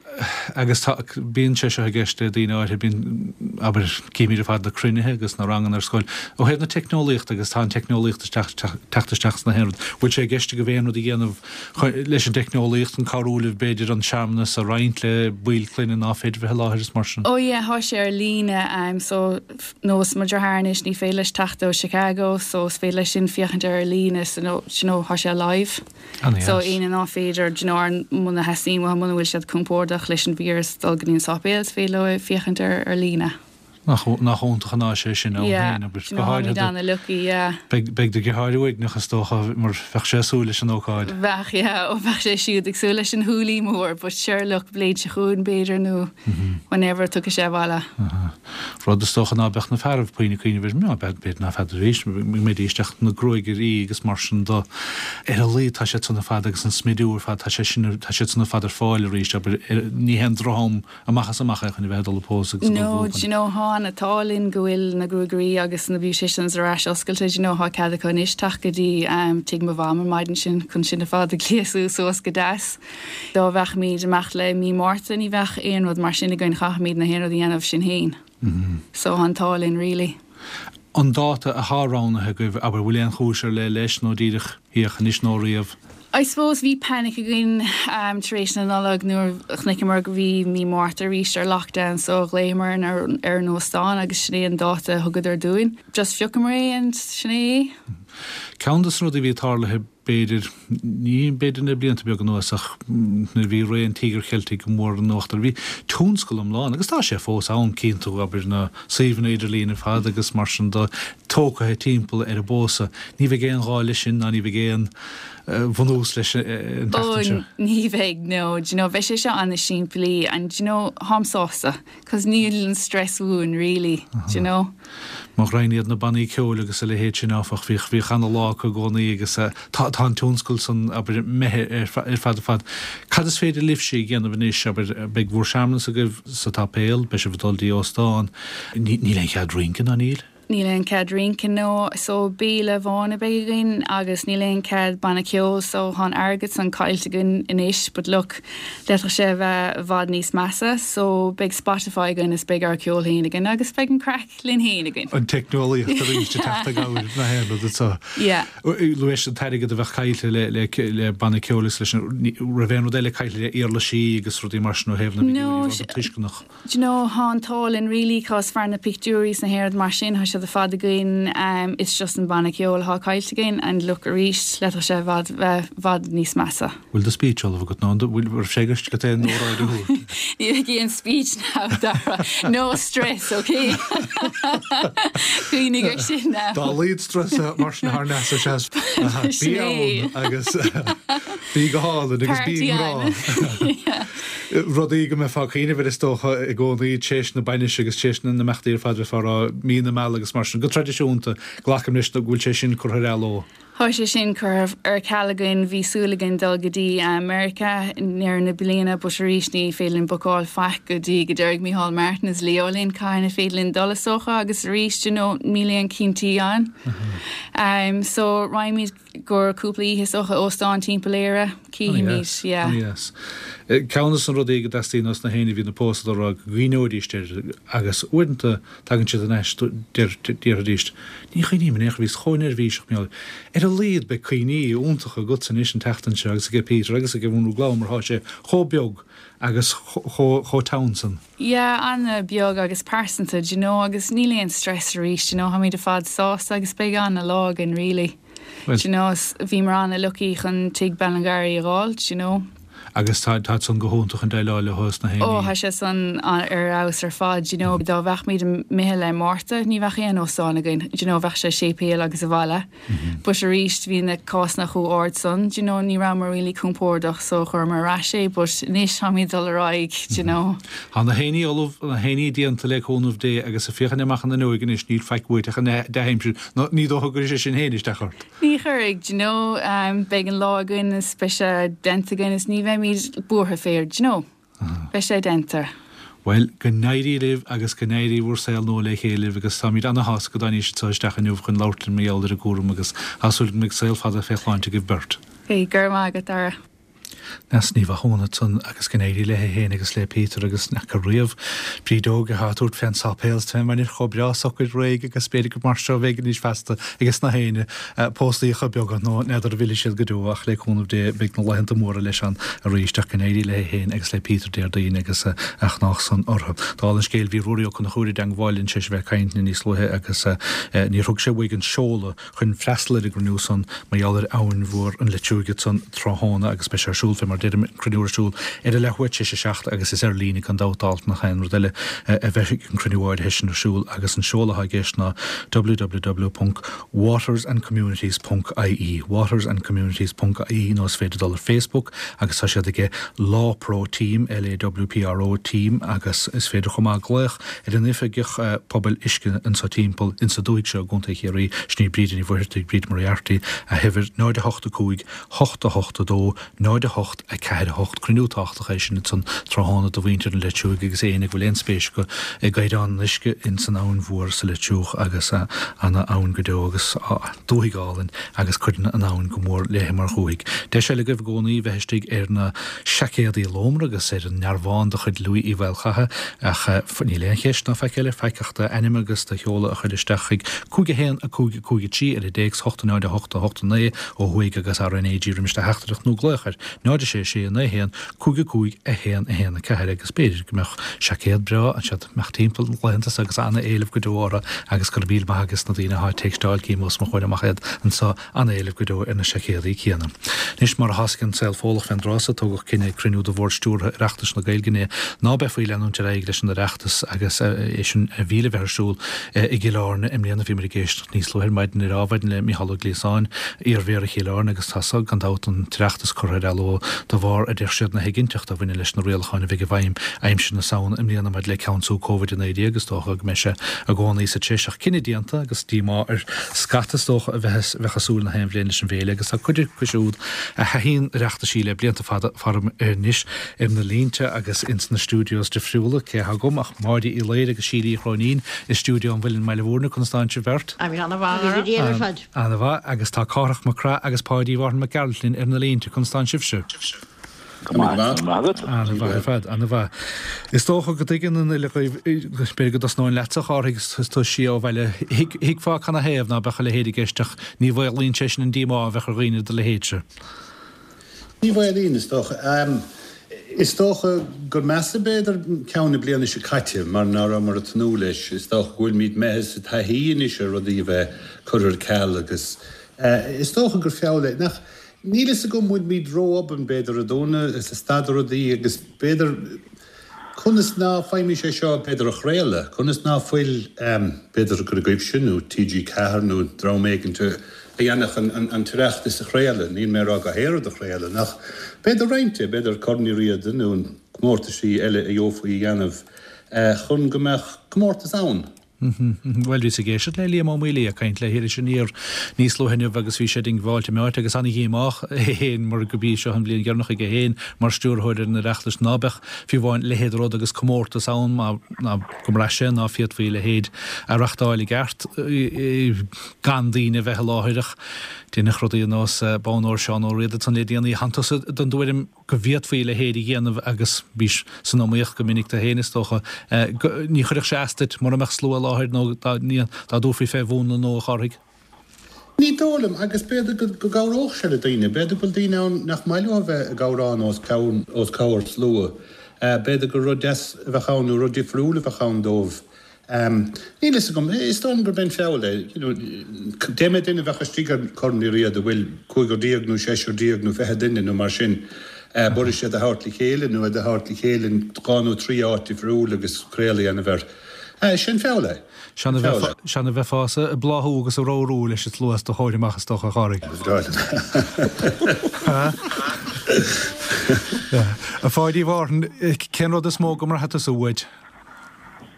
agus tá, bíonn sé seo i gceist le daoine áirithe, bíonn, abair, címid ar fad na cruinnithe agus na ranganna ar scoil, ó thaobh na teicneolaíochta agus tá an teicneolaíocht isteach, teacht isteach sna haon rud, bhfuil sé i gceist agaibh aon rud a dhéanamh leis an dteicneolaíocht chun cabhrú libh b'fhéidir an searmanas a roinnt le baill clainne ná féidir bheith i láthair is mar sin? Oh yeah, tá sé ar líne, so nós mo dheartháir anois ní féidir leis teacht ó Chicago so is féidir leis sin féachaint air ar líne so you know tá sé live. An-dheas. So éinne ná féidir, do you know, ar muna theastaíonn uathu, muna bhfuil siad compordach leis an víreas dul go dtí an sáipéal, is féidir leo féachaint air ar líne. Nach nach iontach an áis é sin ann Yeah, féin, abair, do you go know, háirithe táimid do ana-lucky, yeah. Beidh beidh do dheartháir uaigneach is dócha mar bheadh sé ag súil leis an ócáid. Bheadh, yeah, ó bheadh sé siúd ag súil leis an hoolie mór, but sure look, bliain seo chugainn b'fhéidir nó whenever tiocfaidh sé abhaile. Aha. Rud is dócha ná beadh na fearaibh puinn ag cuimhneamh air, ná b'fhéidir ná feadar arís, mbeidís ach na gruagairí agus mar sin do. Ar a laghad tá siad san ar fad agus an smidiú ar fad, tá sé sin, tá siad san ar fad ar fáil arís, abair, ní haon droch-am amach is amach é chun a bheith ag dul ag pósadh agus ag dul ag No, buachan. do you know, tá an t-ádh linn go bhfuil na gruagairí agus na beauticians ar ais oscailte, do you know, tá cead acu anois teacht go dtí tigh mo mham an maidin sin chun sinn ar fad a ghléasadh suas go deas. Dá mbeadh-muid ag imeacht le mí Márta ní bheadh aon rud mar sin againn, chaithfimid na haon rud a dhéanamh sinn fhéin. So tá an t-ádh linn really. An dáta athá roghnaithe agaibh, abair, bhfuil aon chúis ar leith leis nó díreach féach anois nó riamh? I suppose bhí panic againn tar éis na Nollag nuair a chonaiceamar go bhí mí Márta arís ar lockdown so ghlaochamar ar an óstán agus sin é an dáta a thugadar dúinn. Just phiocamar é and sin é é. Ceann de na rudaí a bhí tarlaithe b'fhéidir, ní b'fhéidir le blianta beaga anuas ach nuair a bhí ré an Tíogair Cheiltigh go mór in uachtar, bhí tionscal iomlán, agus tá sé fós ann, cíonn tú, abair, na suíomhanna idirlín ar fad agus mar sin de, tógtha timpeall ar an bpósadh. Ní bheidh aon ghá leis sin ná ní bheidh aon bhunús leis an tseachtain seo. Ó, ní bheidh, no. Do you know, beidh sé seo an-simplí and, do you know, táim sásta. Cos níl an stress uainn really, do you know. Mo ghraidhin iad na bannaí ceoil agus a leithéid sin áfach, bhíodh, bhíodh ana-lá acu i gcónaí agus tá, tá an tionscal san, abair, imithe ar, ar fad ar fad. Cad is féidir libhse a dhéanamh anois, abair, beidh bhur searmanas agaibh sa tsáipéal, beidh sibh ag dul dtí óstán, ní, níl aon chead rince ná níl? Níl aon cead rince no so béile amháin a bheidh againn agus níl aon cead banna ceoil so tá an airgead san caillte againn anois but look d'fhéadfadh sé a bheith i bhfad níos measa so beidh Spotify againn is beidh ár ceol féin againn agus beidh an craic linn féin againn. An teicneolaíocht arís ag teacht i gcabhair na haon rud anseo. Yeah. Luais an t-airgead a bheadh caillte le le le banna ceoil agus leis an raibh aon rud eile caillte le uirlisí agus rudaí mar sin ó thaobh na bpictiúirí rud tuisceanach. Do you know, thá an t-ádh linn really cos fear na pictiúirí is na haon rud mar sin, thá siad ar fad againn, it's just an banna ceoil athá caillte againn and look arís, d'fhéadfadh sé i bhfad bheith bhfad níos measa. Bhfuil do speech ullamh agat nó an bhfuil raibh sé i gceist agat aon óráid a thabhairt? Ní bheidh aon speech now Dara, no stress ok? Cuimhnigh ar sin now. Dá laghad strus mar sin thar n-ais ar seas bí ann agus bí go hálainn agus bí i ngrá. Rudaí go mbeifeá ag cuimhneamh air is dócha i gcónaí tar éis na bainise agus tar éis na n-imeachtaí ar fad bheifeá ag rá mí na meala agus mar sin. Go traidisiúnta, glacaim leis go bhfuil sé sin curtha ar athló. Tá sé sin curtha ar ceal againn. Bhí súil againn dul go dtí Meiriceá i ndeireadh na bliana but arís ní féidir linn bookáil faic go dtí go déarfaidh Micheál Martin is Leo linn cathain a féidir linn dul is dócha agus arís you know níl aon cinntí ann. So raghaimid go cúpla oíche is dócha óstán timpeall Éire, cífimid, yeah. Ana-dheas. Ceann de na rudaí go dteastaíonn ós na héinne a bhíonn ag pósadh a rá go gcuimhneoidís air agus uaireanta tagann siad in ais déarfaidís ní chuimhním in aon chor bhíos chomh neirbhíseach mar gheall ar a laghad beidh cuimhní iontacha agatsa anois an tseachtain seo agus aige Peter agus aige Mhúnrú Glam mar thá sé chomh beag agus chomh teann san. Yeah, an-bheag agus pearsanta, do you know, agus níl aon stress arís, do you know, táimid ar fad sásta agus beidh an-lá againn really. Do you know, bhíomar an-lucky chun tigh Ballingarry a dh'fháil, do you know. Agus tá tá san go hiontach chun déileáil leo is na héinní. Oh, tá sé san ar fheabhas ar fad, do you know, dá bheadh imithe le Márta, ní bheadh aon óstán againn, do you know, bheadh sé séipéal agus abhaile. But arís bhí na cásanna chomh ard san, do you know, ní rabhamar really compordach so chuireamar ar ais é but anois táimid ag dul ar aghaidh, do you know. Tá na héinní ullamh, na héinní déanta le cúnamh Dé agus ag féachaint amach an fhuinneoig anois níl faic uait ach an dea-aimsir nó ní dócha go gcuirfidh sé sin féin isteach ort. Ní chuirfidh, do you know, beidh an lá againn is beidh sé déanta againn is ní bheimid buartha fé, do you know. Beidh sé déanta. Bhuel, go n-éirí libh agus go n-éirí bhur saol nua le chéile libh agus táimid ana-shásta go dtáinís anseo isteach inniu chun labhairt linn mar gheall ar an gcúram agus tá súil go mbeidh saol fada fé shláinte agaibh beirt. Go raibh maith agat, Dara. Neasa Ní Mhathúna ansan agus go n-éirí léi féin agus le Peter agus n'fheaca riamh Bríd óg atá ag tabhairt fén sáipéal is fén mbainis chomh breá socair réidh agus b'fhéidir gur mar seo a bheidh anois feasta ages na héinne póstaíocha beaga nó n'fheadar an bhfillfidh siad go deo ach le cúnamh Dé beidh na laethanta móra leis ann arís ach go n-éirí léi féin agus le Peter Déardaoin agus a ghnách san orthu. Dála an scéil bhí Ruairí Ó Conchúir i dteangmháil linn tar éis a bheith ag caint linn níos luaithe agus níor thug sé uaidh an seoladh chun freastal ar an gcruinniú san mar gheall ar abhainn mhór an Leitriúigh ansan tráthnóna agus beidh sé ar siúl fé mar deirim an cruinniú ar siúl ar a leathuair tar éis a 7 agus is ar líne gan dabht dála nach aon rud eile a bheidh an cruinniú áirithe sin ar siúl agus an seoladh atá i gceist ná www watersandcommunities ponc ie watersandcommunities ponc ie nó is féidir dul ar Facebook agus tá siad aige LawPro Team, L-A-W-P-R-O Team agus is féidir chomh maith glaoch ar an Oifigeach Pobail Uisce anso timpeall insa dúthaigh seo i gContae Chiarraí, sin í Bríde Ní Mhuircheartaigh, Bríd Moriarty, a huimhir 0 8 5 8 8 2 0 8 4 8 Cruinniú tábhachtach é sin ansan tráthnóna do mhuintir an Leitriúigh agus éinne go bhfuil aon. an-spéis acu i gcaighdeán an uisce ins an Abhainn Mhór sa Leitir Triúch agus ana-abhainn go deo agus dúthaigh álainn agus cuireann an abhainn go mór léi mar dhúthaigh. Deis eile agaibh i gcónaí bheith istigh ar na seaicéadaí lómhara agus ar an ndearbhán de chuid Louis Uí Mhaolchatha ach níl aon cheist ná faic eile, faic ach d'ainm agus do sheoladh a chur isteach chuig 5 1 5 5 3 ar an dtéacs 8 0 8 8 9 ó thuaidh agus RnaG roimis do theachtaireacht nó glaoch ar 0 6 6 9 1 5 5 1 1 4 agus b'fhéidir go mbeadh seaicéad breá anseo imeacht timpeall na laethanta seo agus ana-éileamh go deo orthu agus go raibh míle maith ages na daoine atá ag téacsáil cím os mo chomhair amach iad anseo ana-éileamh go deo ar na seaicéadaí céanna. Anois mar atá ag an saol Fódhlach fén dtráth so tógadh cinneadh ag cruinniú de Bhord Stiúrtha Oireachtas na Gaeilge inné ná beifí ag leanúint ar aghaidh leis an Oireachtas agus é sin a bhí le bheith ar siúl i gCill Airne i mbliana. Bhíomar ag éisteacht níos luaithe ar maidin ar adhmhaidin le Mícheál Ó Gliasáin, iar-Mhéara Chill Airne agus tá so gan dabht an tOireachtas curtha ar athló de bharr, a deir siad, na héiginnteachta a bhaineann leis na rialacháin a bheidh i bhfeidhm aimsir na Samhna i mbliana maidir le ceansú Covid-19. Is dócha go mbeidh sé i gcónaí sa treis ach cinneadh déanta agus díomá ar scata is dócha a bheadh ag súil na haon bhliain leis an bhféile agus tá cuid acu siúd a thaithíonn Oireachtaisí le blianta fada faram anois ar na línte agus ins na stiúideos difriúla. Cé atá agam ach Máire Uí Laoire agus Síle Uí Chróinín i stiúideo an Mhuilinn i mBaile Mhúirne. Conas tánn sibh beirt? Ana-mhaith, a Dhara. Ar fad. Ana-mhaith. Agus tá Cárthach Mac Craith agus Páidí Mhárthain Mac Gearailt linn ar na línte. Conas tánn sibhse? Go maith. Go maith agat. Ana-mhaith ar fad. Ana-mhaith. Is dócha go dtuigeann an uile dhaoibh, b'fhéidir go dtosnóinn leatsa, a Chárthaigh, is tú siar ó bhaile. Thuigfeá canathaobh ná beadh a leithéid i gceist ach ní mhaolaíonn sé sin an díomá a bheadh ar dhaoine de do leithéidse. Ní mhaolaíonn, is dócha. Is dócha gur measa, b'fhéidir, ceann na bliana seo caite mar ná rabhamar ag tnúth leis. Is dócha go bhfuilimid imithe sa taithí anois ar rudaí a bheith curtha ar ceal agus is dócha gur feall é. Nach, níl fhios agam, bhfuilimid ró-obann, b'fhéidir, ag dúnadh is ag stadadh rudaí agus b'fhéidir, Conas ná faighimís é seo, b'fhéidir, a chraoladh? Conas ná fuil, b'fhéidir gur agaibhse nó TG4 nó dream éigint a dhéanfadh an tOireachtas a chraoladh, níl mé ag rá gach aon rud a chraoladh, ach b'fhéidir roinnt de, b'fhéidir Corn Uí Riada nó an comórtaisí eile a gheofaí a dhéanamh chun go mbeadh comórtas ann. Bhuel, bhíos ag éisteacht le Liam Ó Maolaodha ag caint le hIris Aniar níos luaithe inniu agus bhí sé diongbháilte meáite agus an-dhíomách é féin mar go b'í seo an bhliain dheireanach aige féin mar stiúrthóir ar an Oireachtas ná beadh fiú amháin leithéid de rud agus comórtas ann mar ná go mbraith sé ná féadfaí a leithéid a reachtáil i gceart gan daoine a bheith i láthair ach deineadh rudaí ar nós Bonn Óir Seán Ó Riada ansan le déanaí. Tánn tusa den dtuairim go bhféadfaí a leithéid a dhéanamh agus bhís san iomaíocht go minic tú féin is dócha. Ní chuirfeadh sé as duit mura mbeadh slua i láthair nó dá dtabharfaí fé mhúnla nua, a Chárthaigh. Ní dóigh liom, agus b'fhéidir go gcabhródh sé le daoine. B'fhéidir go bhfuil daoine ann nach maith leo a bheith ag amhrán os comhair slua. B'fhéidir gur rud deas a bheadh ann nó rud difriúil a bheadh ann dóibh. Níl fhios agam. Is dóigh liom gurb é an feall é. You know, dé mhéad duine a bheadh istigh ar Chorn Uí Riada, bhfuil cúigear déag nó seisear déag nó 20 duine nó mar sin, b'fhuirist iad a thabhairt le chéile nó iad a thabhairt le chéile in dhá nó trí áit difriúil agus craoladh a dhéanamh air. Sin feall é. Sean a bheifeá ag bláthú agus ag ramhrú leis an slua os do chomhair amach is dócha, a Chárthaigh. Ba bhreá liom. A Pháidí Mhárthain, cén rud is mó go mbraithfidh tusa uait?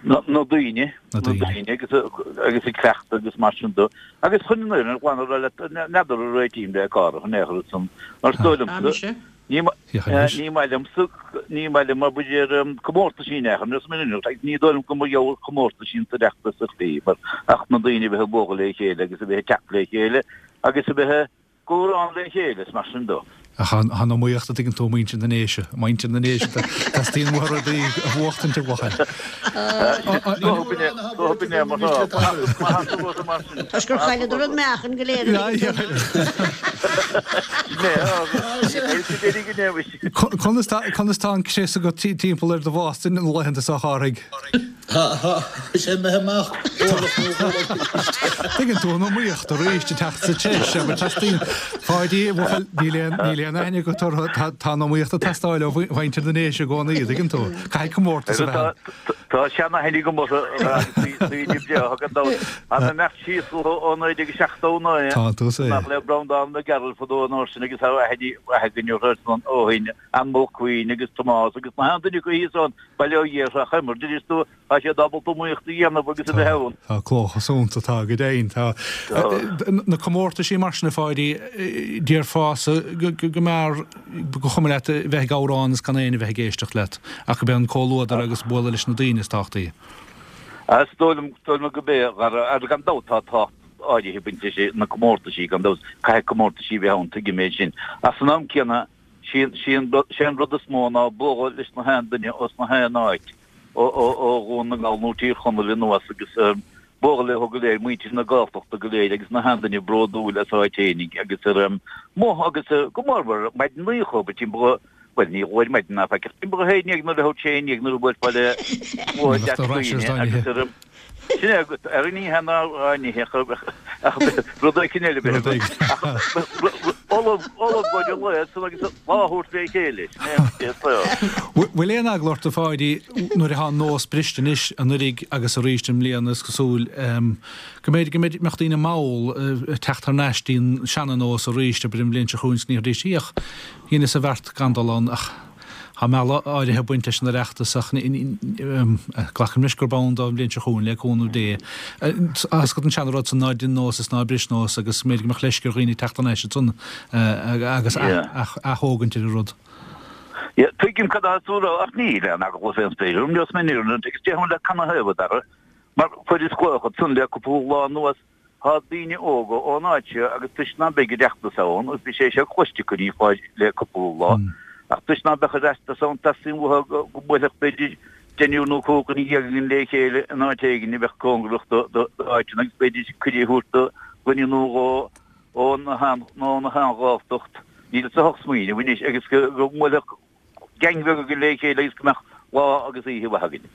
Na daoine, na daoine agus agus ag cleachtadh agus mar sin de. Agus chun an fhírinne ghlan a rá leat, n'fheadar an réitím le Cárthach in aon chor ansan, mar is dóigh liomsa, ní ní maith liomsa, ní maith liom mar b'fhéidir comórtaisí in aon chor, ar an agus ní dóigh liom go mba gheall comórtaisí an tOireachtas a chlí, mar ach na daoine a bheith ag bualadh le chéile agus a bheith ag teacht le chéile agus a bheith comhrá le chéile is mar sin de. Ach tá an iomaíocht, a dtuigeann tú, muintir na nDéise, muintir na nDéise, teastaíonn uathu rudaí a bhuachtaint, a bhuachaill. Toisc gur chailleadar an meáchan go léir a Conas tá an crios agat timpeall ar do bhásta na laethanta seo, a Chárthaigh? Tá sé imithe amach orlach nó dhó arís. Tuigeann tú an iomaíocht arís ag teacht sa treis, abair, teastaíonn, Pháidí, a bhuachaill, níl aon, níl aon aithne agat orthu, tá, tá an iomaíocht ag teastáil ó mhuintir na nDéise i gcónaí, tuigeann tú. Caithfidh comórtas a bheith ann. Tá seanaithne agam orthu agus daoine breátha gan dabht. Ach imeacht síos ó 1979, Tá tú sa. nach le Breandán Mac Gearailt fadó an uair sin agus tá aithne mhaith againn orthu ó shin, Ann Mulqueen agus Tomás agus na haon duine acu thíos ann. Bail ó Dhia orthu, a chuimir, dtuigeann tú, tá siad ábalta iomaíocht a dhéanamh agus a bheith ann. Tá clóchas iontu, tá go deimhin. Tá na comórtaisí mar sin, a Pháidí, déarfása go mb'fhearr, gur chuma leat a bheith ag amhrán is gan éinne a bheith ag éisteacht leat, ach gurb é an comhluadar agus bualadh leis na daoine is tábhachtaí. Is dóigh liom, dóigh liom gurb é, agus gan dabht tá tábhacht áirithe ag baint leis na comórtaisí, gan dabht, caithfidh comórtaisí a bheith ann, tuigim é sin. Ach san am céanna, sé an rud is mó ná bualadh leis na haon duine os na haon áit, ó Dhún na nGall nó Tír Chonaill anuas agus bualadh leo go léir, muintir na Gaeltachta go léir agus na haon duine bródúil as a áit fhéinig agus ar amuigh agus go mórmhór maidin oíche ba timpeall bhuel ní ar maidin ná faic ach timpeall a haon dhéag nuair a thabhairt sé aon dhéag nuair a bhuailfeá le deas daoine agus ar Sin é agat, ar an oíche ná an oíche ach rud éicint eile b'fhéidir. Ullamh ullamh go dtí an lae san agus lá a thabhairt le chéile, sin é an saol. Bhfuil aon eagla ort, a Pháidí, nuair atá an nós briste anois anuiridh agus arís i mbliana is cosúil, go mb'fhéidir go mbeadh daoine mall ag teacht thar n-ais dtí an seana-nós arís, abair an bhliain seo chugainn is ní arís í ach dheineas an bheart gan dul ann ach Tá mealladh áirithe ag baint leis an Oireachtas ach glacaim leis gurb ann dó an bhliain seo chugainn, le cúnamh Dé. Tá a fhios agat an seana-rud san, ná dein nós is ná bris nós agus b'fhéidir go mbeadh leisce ar dhaoine teacht thar n-ais ansan agus ath-thógaint ar an rud. Tuigim cad atá tú a rá ach níl aon eagla fén spéir orm, neosfaidh mé an fhírinne duit agus déarfainn leat canathaobh, a Dhara, mar fuaireas glaoch ansan le cúpla lá anuas Tá daoine óga ón áit seo agus toisc ná beidh Oireachtas ann, agus bhí sé seo cloiste acu ní fáid le cúpla lá, ach toisc ná beadh Oireachtas ann teastaíonn uathu go mbuailfeadh b'fhéidir deichniúr nó 15 dhuine againn le chéile in áit éigin a bheadh cóngarach d'áiteanna agus b'fhéidir cuireadh a thabhairt do dhuine nó dhó ó na haon Ghaeltacht, níl sa hocht smaoineamh anois, agus go mbuailfeadh gang bheag againn le chéile agus go mbeadh lá agus oíche mhaith againn.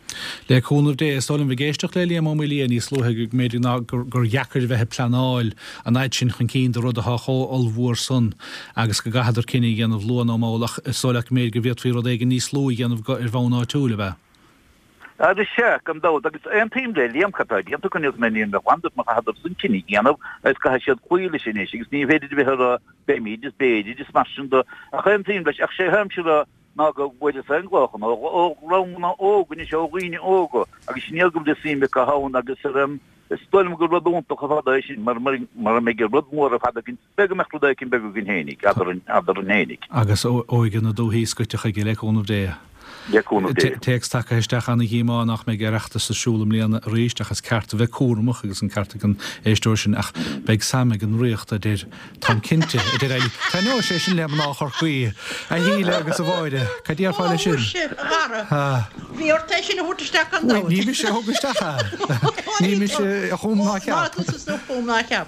Le cúnamh Dé, is dóigh liom, ag éisteacht le Liam Ó Maoildhia níos luaithe go mb'fhéidir ná gur dheacair a bheith ag pleanáil an fhaid sin chun cinn do rud atá chomh ollmhór san agus go gcaithfeadar cinneadh a dhéanamh luath nó mall ach is dóigh leat go mb'fhéidir go bhféadfaí rud éigin níos lú a dhéanamh ar bhonn áitiúil, ab ea? Agus sea, gan dabht, agus aontaím le Liam, cad tá déanta acu níos mé níl mé glan duit má chaitheadar san cinneadh a dhéanamh agus caithfidh siad cloí leis anois agus ní féidir a bheith ag rá beimid is b'fhéidir is mar sin de ach aontaím leis ach sé tháimse a rá ná go bhfuaireas aon ghlaochanna ó dhreamanna óga anois ó dhaoine óga agus sin iad go bhfuil suim acu ann agus is dóigh liom gur rud iontach ar fad é sin mar mura mbeidh rud mór ar fad againn B'fhéidir go mbeadh rud éicint beag againn fhéinig, eadrainn, eadrainn fhéinig. Agus óige na dúthaí scoite chuige, le cúnamh Dé. Le cúnamh Dé. Téacs tagtha isteach, Ana-dhíomá nach mbeidh Oireachtas ar siúl i mbliana arís, ach is ceart a bheith cúramach, agus an ceart ag an éisteoir sin, ach beidh Sam ag an Ríocht, a deir, táim cinnte, a deir Eilís. Taitneoidh sé sin le mná Chorcaí, a Shíle agus a Mháire. Cad déarfá leis sin? Ó, muise, a Dhara, bhí ort é sin a thabhairt isteach gan dabht. Ní mise a thug isteach é. Ní mise a chum ná a cheap. Ná tusa a chum ná a cheap.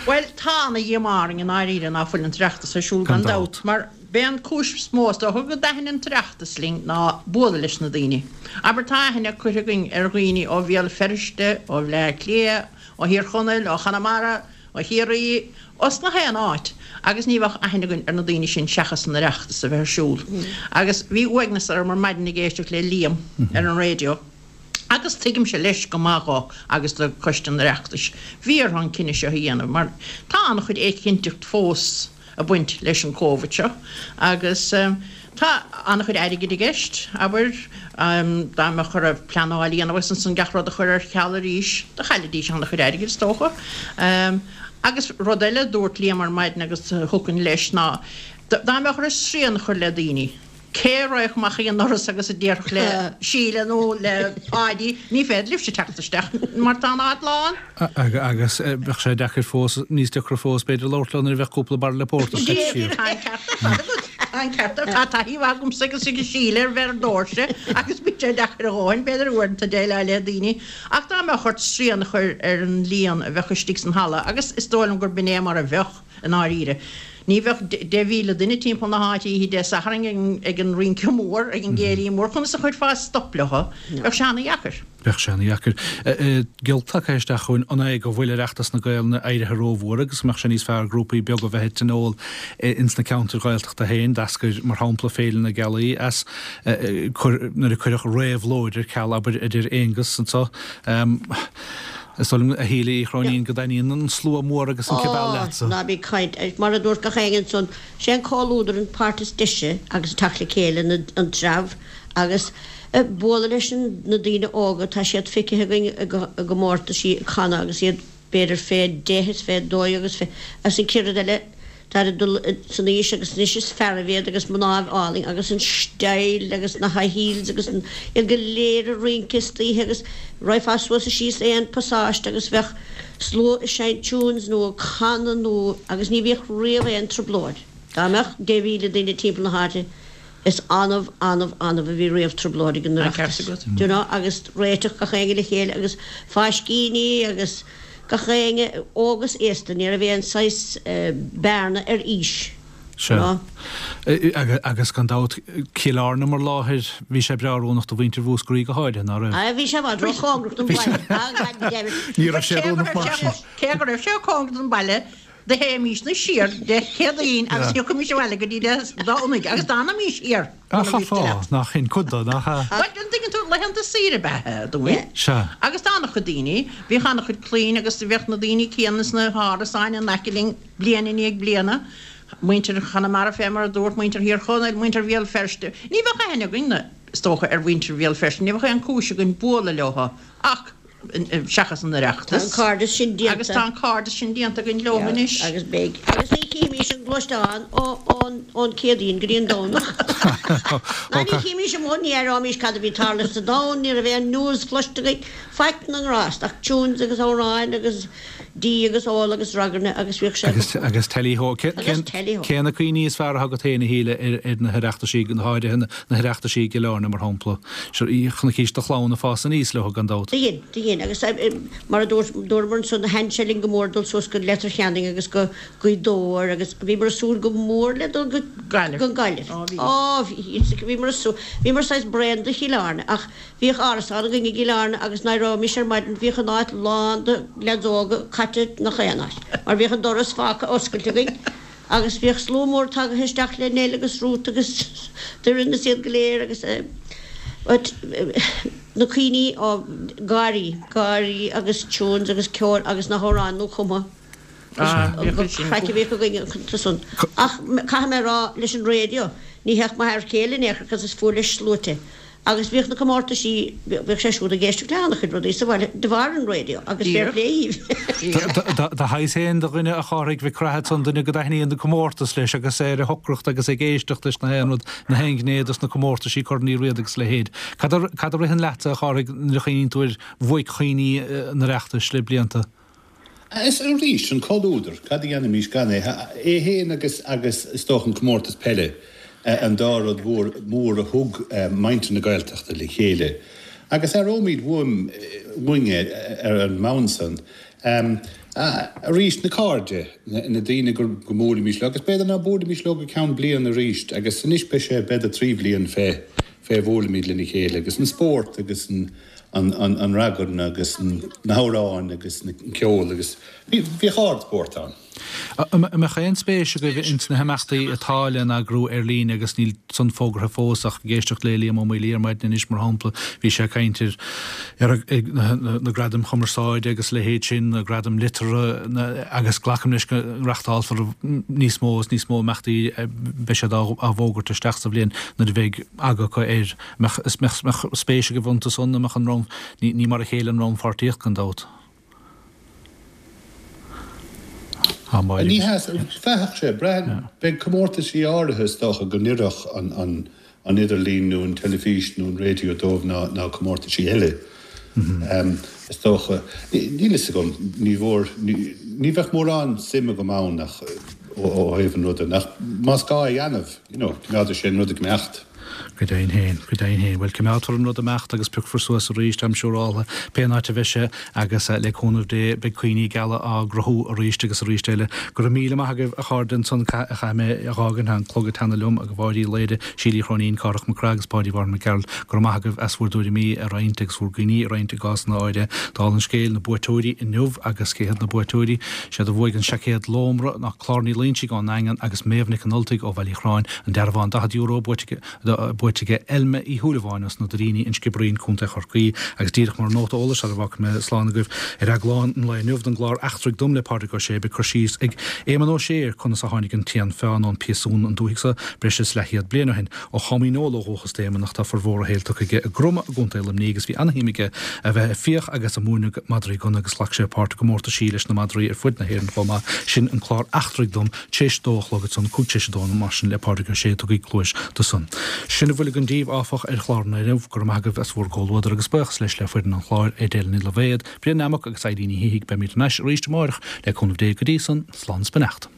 Bhuel, tá ana-dhíomá orainn i ndáiríre ná fuil an tOireachtas ar siúl gan dabht, mar b'é an cúis is mó is dócha go dtaithin an tOireachtas linn ná bualadh leis na daoine. Abair, tá aithne curtha againn ar dhaoine ó Bhéal Feirste, ó Bhleá Cliath, ó Thír Chonaill, ó Chonamara, ó Chiarraí, os na haon áit, agus ní bheadh aithne againn ar na daoine sin seachas an Oireachtas a bheith ar siúl. Agus bhí uaigneas orm ar maidin ag éisteacht le Liam ar an raidió. Agus tuigimse leis go maith dhó agus do Choiste an Oireachtais. Bhí orthu an cinneadh seo a dhéanamh mar tá an-chuid éiginnteacht fós ag baint leis an Covid seo agus tá an-chuid airgid i gceist, abair, dá mbeadh orthu pleanáil a dhéanamh agus ansan gach rud a chur ar ceal arís, do chaillfidís an-chuid airgid is dócha. Agus rud eile a dúirt Liam ar maidin agus thiocfainn leis ná dá mbeadh orthu srian a chur le daoine, Cé a raghadh amach ag an ndoras agus a déarfadh le Síle nó le Páidí, ní féidir libhse teacht isteach mar tá an áit lán? Agus bheadh sé deacair fós, níos deacra fós b'fhéidir labhairt leo nuair a bheadh cúpla bairille pórtair caite siar. Tá an ceart ar fad agat, tá an ceart ar fad. Tá taithí mhaith agamsa agus ag Síle ar bheith ar doirse agus bíonn sé deacair a dhóthain, b'fhéidir, uaireanta déileáil le daoine. Ach dá mbeadh ort srian a chur ar an líon a bheadh istigh san halla, agus is dóigh liom gur b'in é mar a bheadh, i ndáiríre. Ní bheadh 10,000 duine timpeall na háite oíche Dé Sathairn ag an rince mór, ag an gcéilí mór. Conas a chuirfeá stop leo? Bheadh sé ana-dheacair. Bheadh sé ana-dheacair. Giolc tagtha isteach chugainn, an é go bhfuil Oireachtas na Gaelainne éirithe rómhór agus go mbeadh sé níos fearr grúpaí beaga a bheith ag tionól ins na ceantair Ghaeltachta féin? D'eascair, mar shampla, Féile na Gealaí as nuair a cuireadh réabhlóid ar ceal, abair, a deir Aonghus anseo. Is dóigh liom, a Shíle Uí Chróinín, go dtaitníonn an slua mór agus an cibeal leatsa. Ó, ná bí ag caint. Mar a dúirt gach éinne ansan, sé an comhluadar an páirt is deise agus teacht le chéile, an treabh. Agus bualadh leis na daoine óga, tá siad feicthe againn i gcomórtaisí ag canadh agus iad b'fhéidir fé dheich is fé dó agus fé, agus an chéad rud eile, táid ag dul san aois agus anois is fearaibh iad agus mnáibh álainn agus an style agus na high heels agus an, iad go léir ag rince istoíche agus raghfá suas is síos aon pasáiste agus bheadh slua ag seinnt tunes nó ag canadh nó, agus ní bhíodh riamh aon trioblóid. Dá mbeadh 10,000 duine timpeall na háite, Is annamh, annamh, annamh a bhí riamh trioblóid ag an Oireachtas, do you know, agus réiteach gach éinne le chéile agus fáiscíní agus gach éinne, óg is aosta, ní raibh aon saghas bearna ar aois, do you know. Sea. Agus gan dabht, Cill Airne mar láthair, bhí sé breá oiriúnach do mhuintir Mhúscraí go háirithe, ná raibh? Bhí sé i bhfad ró-chóngarach don bhaile, ah God damn it. Ní raibh sé oiriúnach mar sin. Cé go raibh sé cóngarach don bhaile, Do théimísne siar Dé Céadaoin agus thiocfaimís abhaile go dtí Dé Domhnaigh agus d'fhanaimís thiar. Ah, chaithfeá, nach shin cuid de, nach ea? Bhuel, an dtuigeann tú, laethanta saoire ab ea dúinn. Sea. Agus d'an-chuid daoine, bhíodh an-chuid clainn agus bhíodh na daoine céanna sna hárasáin in aice linn bliain i ndiaidh bliana, muintir Chonamara fé mar a dúirt, muintir Thír Chonaill, muintir Bhéal Feirste. Ní bheadh aithne againn, is dócha, ar mhuintir Bhéal Feirste, ní bheadh aon chúis againn bualadh leo ach, seachas an Oireachtas. Tá an cairdeas sin déanta. Agus tá an cairdeas sin déanta againn leo anois. Agus beidh. Agus ní chífimís an gluaisteán ón Céadaoin go dtí an Domhnach. Ná ní chímís amuigh, ní aireoimís cad a bhí ag tarlú sa domhan, ní raibh aon news cloiste againn, faic na ngrást ach tunes agus amhráin agus dí agus ól agus ragairne agus bhíodh sé go. Agus teilí-hó. Agus teilí-hó. Cé na cuimhní is fearr atá agat féin a Shíle ar na hOireachtaisí, go háirithe na hOireachtaisí i gCill Airne mar shampla? Chonaicís do chlann ag fás aníos leo gan dabht. Do dhein, do dhein. Agus mar a dúirt, dúramar ansan, thaitin sé linn go mór dul suas go Leitir Ceanainn agus go Gaoth Dobhair agus bhíomar ag súil go mór le dul go Gaillimh. Go Gaillimh. Ó bhí. Ó bhí, bhíomar ag súil, bhíomar saghas bréan de Chill Airne ach bhíodh árasán againn i gCill Airne agus nuair a éireoimis ar maidin bhíodh an áit lán de leaids óga caite nach aon áit mar bhíodh an doras fágtha oscailte againn. Agus bhíodh slua mór tagaithe isteach le Nell agus Ruth agus Doireann is iad go léir agus but na cuimhní, ó, gáirí, gáirí agus tunes agus ceol agus na hamhráin nuachumtha. Ah, bhíodh sin. Craic a bhíodh againn iontu san. Ach caithfidh mé a rá leis an raidió, ní théadh m'fhear céile in aon chor cos is fuath leis sluaite. Agus bhíodh na comórtaisí, bhíodh sé siúd ag éisteacht le an-chuid rudaí sa bhaile de bharr an raidió agus fair play dhíbh. Do shaghas féin de dhuine a Chárthaigh Mhic Craith ansan, duine go dtaitníonn an comórtas leis agus é ar a shocracht agus ag éisteacht leis na haon rud, na haon ghné dos na comórtaisí, Corn Uí Riada agus a leithéid. Cad a, cad a ritheann leatsa a Chárthaigh nuair a chuimhníonn tú ar bhuaic-chuimhní an Oireachtais le blianta? Is arís, an comhluadar, cad a dhéanfaimis gan é? É féin agus, agus is dócha an comórtas peile, an dá rud mhór, mór a thug muintir na Gaeltachta le chéile. Agus aireoimid uaim, uainn é ar an mbonn san. Arís, na cairde, na daoine go, go mbuailimis leo, agus b'fhéidir ná buailimis leo go ceann bliana arís, agus anois beidh sé b'fhéidir 3 bhliain fé, fé bhuailimid lena chéile, agus an spórt agus an, an ragairne agus na hamhráin agus an ceol agus bhíodh ardspórt ann. An mbeadh aon spéis agaibh ins na himeachtaí atá le n-eagrú ar líne agus níl san fógartha fós ach ag éisteacht le Liam Ó Maolaodha ar maidin anois mar shampla bhí sé ag caint ar na gradaim chumarsáide agus a leithéid sin, na gradaim liteartha agus glacaim leis go reachtálfar níos mó is níos mó imeachtaí beidh siad á bhfógairt isteach sa bhliain nuair a bheidh aga acu air. Mbeadh spéis agaibh iontu san, an mbeadh an rannpháirtíocht, ní mar a chéile an rannpháirtíocht gan dabht. Ní hea, bheadh sé, braithim, beidh comórtaisí áirithe is dócha go n-oirfeadh an idirlíon nó an teilifís nó an raidió dóibh ná comórtaisí eile. Is dócha, níl fhios agam, ní mhór, ní bheadh mórán suim agam ann ach ó thaobh an ruda, ach más gá a dhéanamh, you know, coimeádfaidh sé an rud ag imeacht. Go deimhin féin, go deimhin féin. Bhuel, coimeádfar an rud ag imeacht agus piocfar suas arís, táim siúráltha, pé an áit a bheidh sé agus le cúnamh Dé beidh cuimhní geala á gcruthú arís agus arís eile. Go raibh míle maith agaibh, a chairde, ansan caithfidh mé a dh'fhágaint, tá an clog ag teannadh liom, a Mháire Uí Laoire, Síle Uí Chróinín, Cárthach Mac Craith agus Páidí Mhartin Mac Gearailt. Go raibh maith agaibh as bhur dtuairimí a roinnt agus bhur gcuimhní a roinnt i gcásanna áirithe. Dála an scéil, na buaiteoirí inniu agus cé hiad na buaiteoirí? Siad a bhuaigh an seaicéad Lómra ná Clár Ní Loingsigh ón nDaingean agus Méabh Nic an Ultaigh ó Bhaile Uí Chorráin. An dearbhán €40 buaite ag. buaite aige Elma Uí Shúilleabháin as na Doiríní, An Sciobairín, Co. Chorcaí agus díreach mar nóta eolais sara bhfágfaidh mé slán agaibh ar eaglán an lae inniu den gclár Eachtraigh Dom le Pádraig Ó Sé beidh cur síos ag Éamonn Ó Sé ar conas a tháinig an t-éan fiáin ón bpiasún an dúthaigh so breis is leathchéad bliain ó shin. Ó Chom Dhíneol ó dhúchas d'Éamonn ach tá formhór a shaoil tugtha aige i gCroma i gContae Luimnigh agus bhí ana-shuim aige a bheith ag fiach agus ag múineadh madraí gunna agus ghlac sé páirt i gcomórtaisí leis na madraí ar fud na hÉireann chomh maith. Sin an clár Eachtraigh Dom t'éis dó a chlog ansan, cúig t'éis a dó mar sin le Pádraig Ó Sé, tugaigí cluais do san. Sin a bhfuil againn díbh, áfach, ar chlár an lae inniu. Go raibh maith agaibh as bhur gcomhluadar agus buíochas leis le foireann an chláir, Edel Ní Loibhéad, Brian Nammock agus Eileen Ní Shíthigh. Beimid thar n-ais arís amáireach le cúnamh Dé. Go dtí san, slán is beannacht.